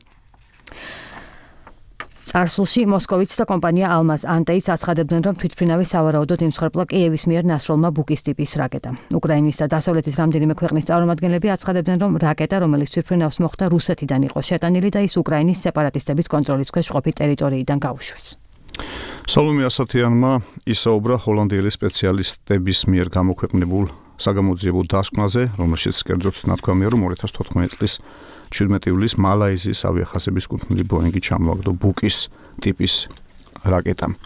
წარსულში მოსკოვიც და კომპანია ალმაზ ანტეიც აცხადებდნენ, რომ თვითმფრინავი სავარაუდოდ იმსხვერპლა კიევის მიერ ნასროლმა ბუკის ტიპის რაკეტა. უკრაინის და დასავლეთის რამდენიმე ქვეყნის წარმომადგენლები აცხადებდნენ, რომ რაკეტა, რომელიც თვითმფრინავს მოხვდა რუსეთიდან იყო შეტანილი და ის უკრაინის სეპარატისტების კონტროლის ქვეშ ყოფი ტერიტორიიდან გაუშვეს. სალომე ასათიანმა ისაუბრა ჰოლანდიელი სპეციალისტების მიერ გამოქვეყნებულ საგამოძიებო დასკვნაზე, რომელშიც კერძოდ ნათქვამია, რომ 2014 წლის 17 ივლისს მალაიზიის ავიახაზების კუთვნილი ბოინგი ჩამოაგდო ბუკის ტიპის რაკეტამ.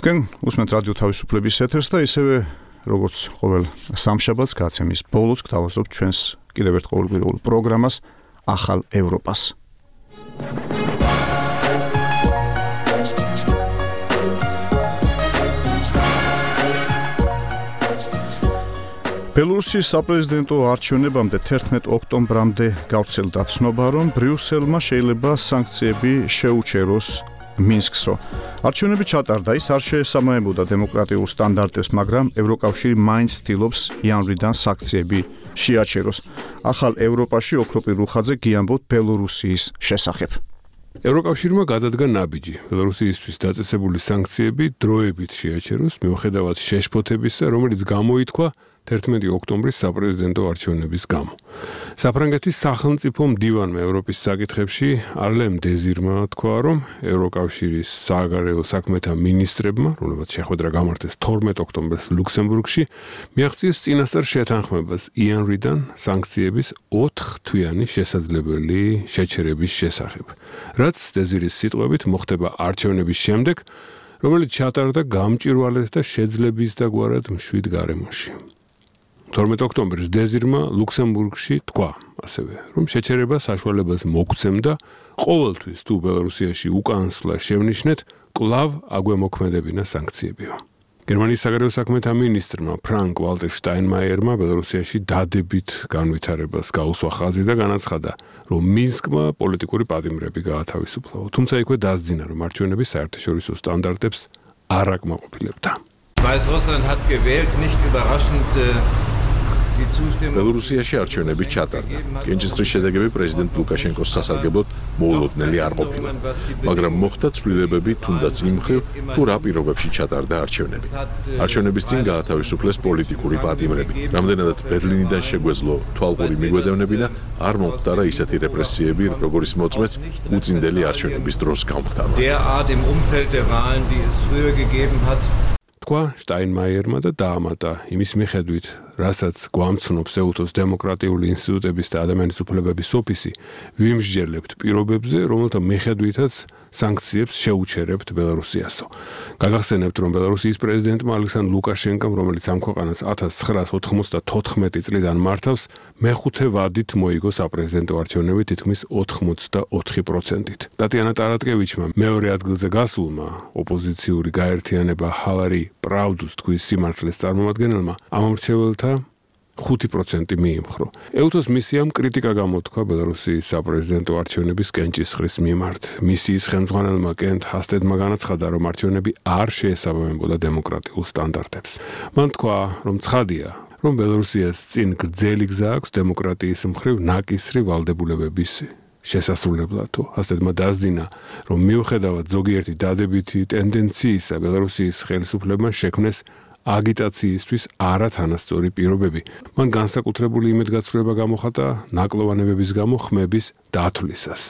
თქვენ უსმენთ რადიო თავისუფლების ეთერს და ისევე როგორც ყოველ სამშაბათს გაცემის ბოლოს გთავაზობთ ჩვენს კიდევ ერთ ყოველკვირეულ პროგრამას ახალ ევროპას. ბელორუსის საპრეზიდენტო არჩევნებამდე 11 ოქტომბრამდე გავრცელდა ცნობა, რომ ბრიუსელმა შეიძლება სანქციები შეუჩეროს მინსკსო. არჩევნები ჩატარდა, ის არ შეესაბამებოდა დემოკრატიულ სტანდარტებს, მაგრამ ევროკავშირი მაინც ცდილობს იანვრიდან სანქციები შეაჩეროს. ახალ ევროპაში ოქროპი რუხაძე გიამბობთ ბელორუსიის შესახებ. ევროკავშირმა გადადგა ნაბიჯი ბელორუსიისთვის დაწესებული სანქციები დროებით შეაჩეროს, მიუხედავად შეშფოთებისა, რომელიც გამოითქვა 11 ოქტომბრის საპრეზიდენტო არჩევნების გამო. საფრანგეთის სახელმწიფო მდივანმა ევროპის საკითხებში არლემ დეზირმა თქვა, რომ ევროკავშირის საგარეო საქმეთა მინისტრებმა, რომლებიც შეხვედრა გამართეს 12 ოქტომბერს ლუქსემბურგში, მიაღწიეს წინასწარ შეთანხმებას იანვრიდან სანქციების 4 თვიანი შესაძლებელი შეჩერების შესახებ. რაც დეზირის სიტყვებით მოხდება არჩევნების შემდეგ, რომელიც ჩატარდა გამჭვირვალედ და შეძლებისდაგვარად მშვიდ გარემოში. 12 ოქტომბერს დეზირმა ლუქსემბურგში თქვა ასევე, რომ შეჩერება საშუალებას მოგცემდა ყოველთვის თუ ბელორუსიაში უკანასვლა შევნიშნეთ, კვლავ აგვემოქმედებინა სანქციებიო. გერმანიის საგარეო საქმეთა მინისტრმა ფრანკ ვალტერ შტაინმაიერმა ბელორუსიაში დადებით განვითარებას გაუსვა ხაზი და განაცხადა, რომ მინსკმა პოლიტიკური პატიმრები გაათავისუფლა. თუმცა იქვე დასძინა, რომ არჩევნები საერთაშორისო სტანდარტებს არ აკმაყოფილებდა. Weißrussland hat gewählt, nicht überraschend ბელორუსიაში არჩევნები ჩატარდა. კენჭისყრის შედეგები პრეზიდენტ ლუკაშენკოს სასარგებლოდ მოულოდნელი არ ყოფილა, მაგრამ მოხდა ცვლილებები თუნდაც იმ მხრივ, თუ რა პირობებში ჩატარდა არჩევნები. არჩევნების წინ გაათავისუფლეს პოლიტიკური პატიმრები. რამდენადაც ბერლინიდან შეგვეძლო თვალყური მიგვედევნები და არ მომხდარა ისეთი რეპრესიები, როგორიც მოწმეც უწინდელი არჩევნების დროს გამხდარა. თქვა შტაინმაიერმა და დაამატა იმის მიხედვით, რასაც გვამცნობს ეუთოს დემოკრატიული ინსტიტუტების და ადამიანის უფლებების ოფისი, ვიმსჯერლებთ პირობებზე, რომელთა მიხედვითაც სანქციებს შეუჩერებთ ბელარუსიასო. გაგახსენებთ, რომ ბელარუსიის პრეზიდენტმა ალექსანდრ ლუკაშენკომ, რომელიც ამ ქვეყანას 1994 წლიდან მართავს, მეხუთე ვადით მოიგო საპრეზიდენტო არჩევნები თითქმის 84%-ით. ტატიანა ტარატკევიჩმა მეორე ადგილზე გასულმა ოპოზიციური გაერთიანება ჰალარი პრაუდუს თქვის სიმართლეს წარმომადგენელმა ამ მრჩეველთა 5% მიიმხრო. ეუთოს მისიამ კრიტიკა გამოთქვა ბელარუსის საპრეზიდენტო არჩევნების კენჭისყრის მიმართ. მისიის ხელმძღვანელმა კენტ ჰასტედმა განაცხადა, რომ არჩევნები არ შეესაბამებოდა დემოკრატიულ სტანდარტებს. მან თქვა, რომ ცხადია, რომ ბელარუსიას წინ გრძელი გზა აქვს დემოკრატიის მხრივ ნაკისრი ვალდებულებების შესასრულებლად. ჰასტედმა დასძინა, რომ მიუხედავად ზოგიერთი დადებითი ტენდენციისა, ბელარუსის ხელისუფლებამ შექმნეს აგიტაციისთვის არათანასწორი პირობები. მან განსაკუთრებული იმედგაცრუება გამოხატა ნაკლოვანებების გამო ხმების დათვლისას.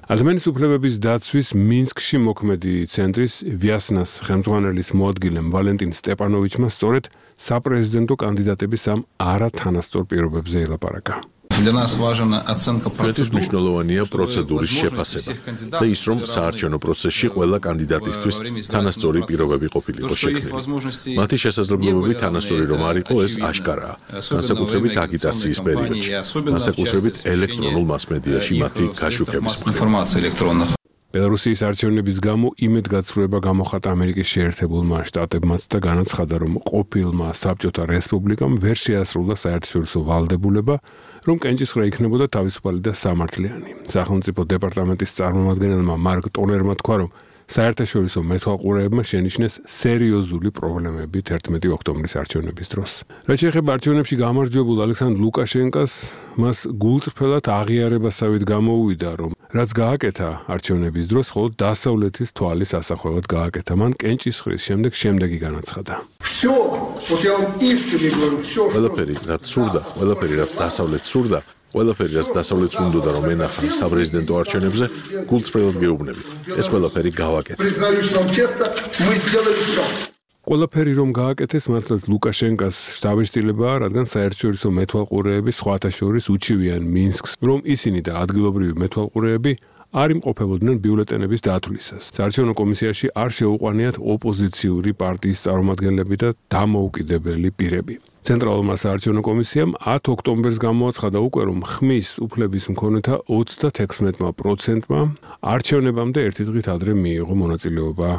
ადამიანის უფლებების დაცვის მინსკში მოქმედი ცენტრის ვიასნას ხელმძღვანელის მოადგილემ ვალენტინ სტეპანოვიჩმა სწორედ საპრეზიდენტო კანდიდატების ამ არათანასწორ პირობებზე ელაპარაკა. ჩვენთვის მნიშვნელოვანია პროცედურის შეფასება და ის, რომ საარჩევნო პროცესში ყველა კანდიდატისთვის თანასწორი პირობები ყოფილიყო შექმნილი. მათი შესაძლებლობები თანასწორი რომ არ იყო, ეს აშკარაა, განსაკუთრებით აგიტაციის პერიოდში, განსაკუთრებით ელექტრონულ მასმედიაში მათი გაშუქების მხრივ. ბელარუსის არჩევნების გამო იმედგაცრუება გამოხატა ამერიკის შეერთებულმა შტატებმაც და განაცხადა, რომ ყოფილმა საბჭოთა რესპუბლიკამ ვერ შეასრულა საერთაშორისო ვალდებულება, რომ კენჭისყრა იქნებოდა თავისუფალი და სამართლიანი. სახელმწიფო დეპარტამენტის წარმომადგენელმა მარკ ტონერმა თქვა, რომ საერთაშორისო მეთვალყურეებმა შენიშნეს სერიოზული პრობლემები 11 ოქტომბრის არჩევნების დროს. რაც შეეხება არჩევნებში გამარჯვებულ ალექსანდრ ლუკაშენკას, მას გულწრფელად აღიარებასავით გამოუვიდა, რომ რაც გააკეთა არჩევნების დროს, მხოლოდ დასავლეთის თვალის ასახვევად გააკეთა. მან კენჭისყრის შემდეგ შემდეგი განაცხადა. ყველაფერი, რაც სურდა, ყველაფერი, რაც დასავლეთს სურდა, ყველაფერი, რაც დასავლეთს უნდოდა რომ ენახა საპრეზიდენტო არჩევნებზე, გულწრფელად გეუბნებით. ეს ყველაფერი გავაკეთეთ. ყველაფერი რომ გააკეთეს, მართლაც ლუკაშენკას შთაბეჭდილებაა, რადგან საერთაშორისო მეთვალყურეები სხვათა შორის უჩივიან მინსკს, რომ ისინი და ადგილობრივი მეთვალყურეები არ იმყოფებოდნენ ბიულეტენების დათვლისას. საარჩევნო კომისიაში არ შეუყვანიათ ოპოზიციური პარტიის წარმომადგენლები და დამოუკიდებელი პირები. ცენტრალურმა საარჩევნო კომისიამ 10 ოქტომბერს გამოაცხადა უკვე, რომ ხმის უფლების მქონეთა 36%-მა არჩევნებამდე ერთი დღით ადრე მიიღო მონაწილეობა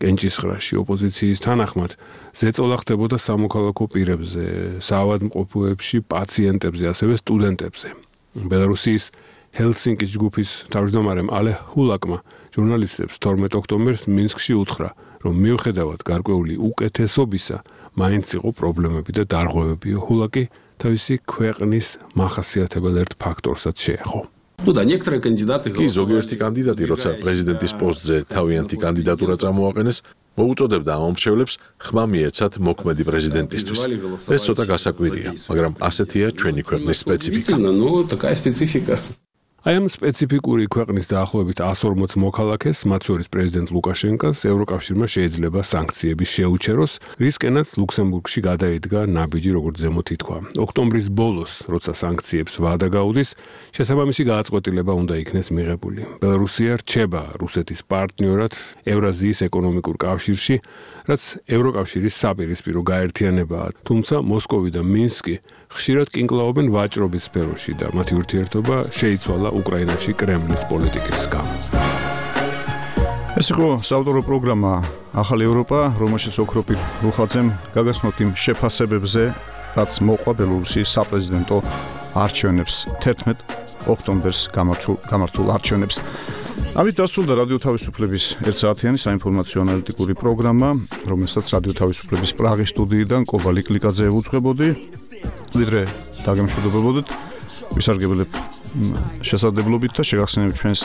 კენჭისყრაში. ოპოზიციის თანახმად ზეწოლა ხდებოდა სამოქალაქო პირებზე, საავადმყოფოებში, პაციენტებზე, ასევე სტუდენტებზე. ბელარუსის ჰელსინკის ჯგუფის თავმჯდომარემ ალე ჰულაკმა ჟურნალისტებს 12 ოქტომბერს მინსკში უთხრა, რომ მიუხედავად გარკვეული უკეთესობისა, მაინც იყო პრობლემები და დარღვევები. ჰულაკი თავისი ქვეყნის მახასიათებელ ერთ ფაქტორსაც შეეხო. კი ზოგიერთი კანდიდატი, როცა პრეზიდენტის პოსტზე თავიანთი კანდიდატურა წამოაყენეს, მოუწოდებდა ამ მომხრეებს ხმა მიეცათ მოქმედი პრეზიდენტისთვის. ეს ცოტა გასაკვირია, მაგრამ ასეთია ჩვენი ქვეყნის სპეციფიკა. აი ამ სპეციფიკური ქვეყნის დაახლოებით 140 მოქალაქეს, მათ შორის პრეზიდენტ ლუკაშენკას, ევროკავშირმა შეიძლება სანქციები შეუჩეროს, რისკენაც ლუქსემბურგში გადაიდგა ნაბიჯი, როგორც ზემოთ ითქვა. ოქტომბრის ბოლოს, როცა სანქციებს ვადა გაუდის, შესაბამისი გააწყვეტილება უნდა იქნეს მიღებული. ბელარუსია რჩება რუსეთის პარტნიორად ევრაზიის ეკონომიკურ კავშირში, რაც ევროკავშირის საპირისპირო გაერთიანებაა, თუმცა მოსკოვი და მინსკი ხშირად კინკლაობენ ვაჭრობის სფეროში და მათი ურთიერთობა შეიცვალა უკრაინაში კრემლის პოლიტიკის გამო. ეს იყო საავტორო პროგრამა ახალი ევროპა, რომელშიც ოქროპირ რუხაძემ გაგაცნოთ იმ შეფასებებზე, რაც მოყვა ბელარუსის საპრეზიდენტო არჩევნებს 11 ოქტომბერს გამართულ არჩევნებს. ამით დასრულდა რადიო თავისუფლების 1 საათიანი საინფორმაციო ანალიტიკური პროგრამა, რომელსაც რადიო თავისუფლების პრაღის სტუდიიდან კობა ლიკლიკაძე ევუძღვებოდი. ვიდრე დაგემშვიდობებოდეთ. ვისარგებლებ შესაძლებლობით და შეგახსენებთ ჩვენს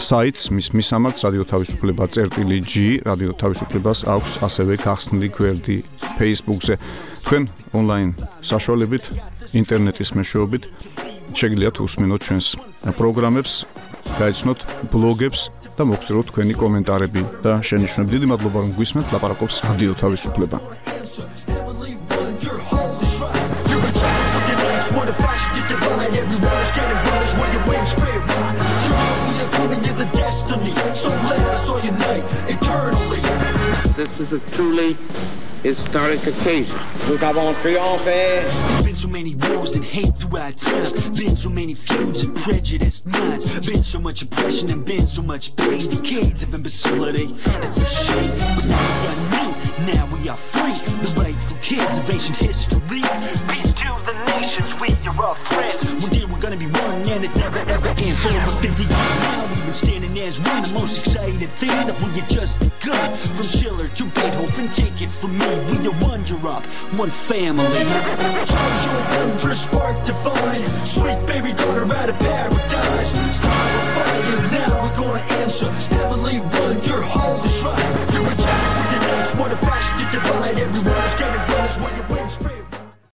საიტს, მის მისამართს რადიო თავისუფლება.g, რადიო თავისუფლებას აქვს ასევე გახსნილი გვერდი Facebook-ზე. თქვენ ონლაინ საშუალებით, ინტერნეტის მეშვეობით შეგიძლიათ უსმენოთ ჩვენს პროგრამებს, გაიცნოთ ბლოგებს და მოგწიროთ თქვენი კომენტარები და შენიშვნები. დიდი მადლობა რომ გვისმენთ, ლაპარაკობს რადიო თავისუფლება. This is a truly historic occasion. Nous avons triomphé. There's been so many wars and hate throughout time. Been so many feuds and prejudiced minds. Been so much oppression and been so much pain. Decades of imbecility. It's a shame. But now we are new. Now we are free. The rightful kids of ancient history. Peace to the nations. We are all friends. One day we're gonna be one and it never ever ends. For over 50 years now we've been standing as one. The most exciting thing that we had just begun. From Schiller to Beethoven, take it from me. We are one Europe, one family. Charge your wonder, spark divine. Sweet baby daughter out of paradise. Power fire, now we're gonna answer. Heavenly one, your holy shrine.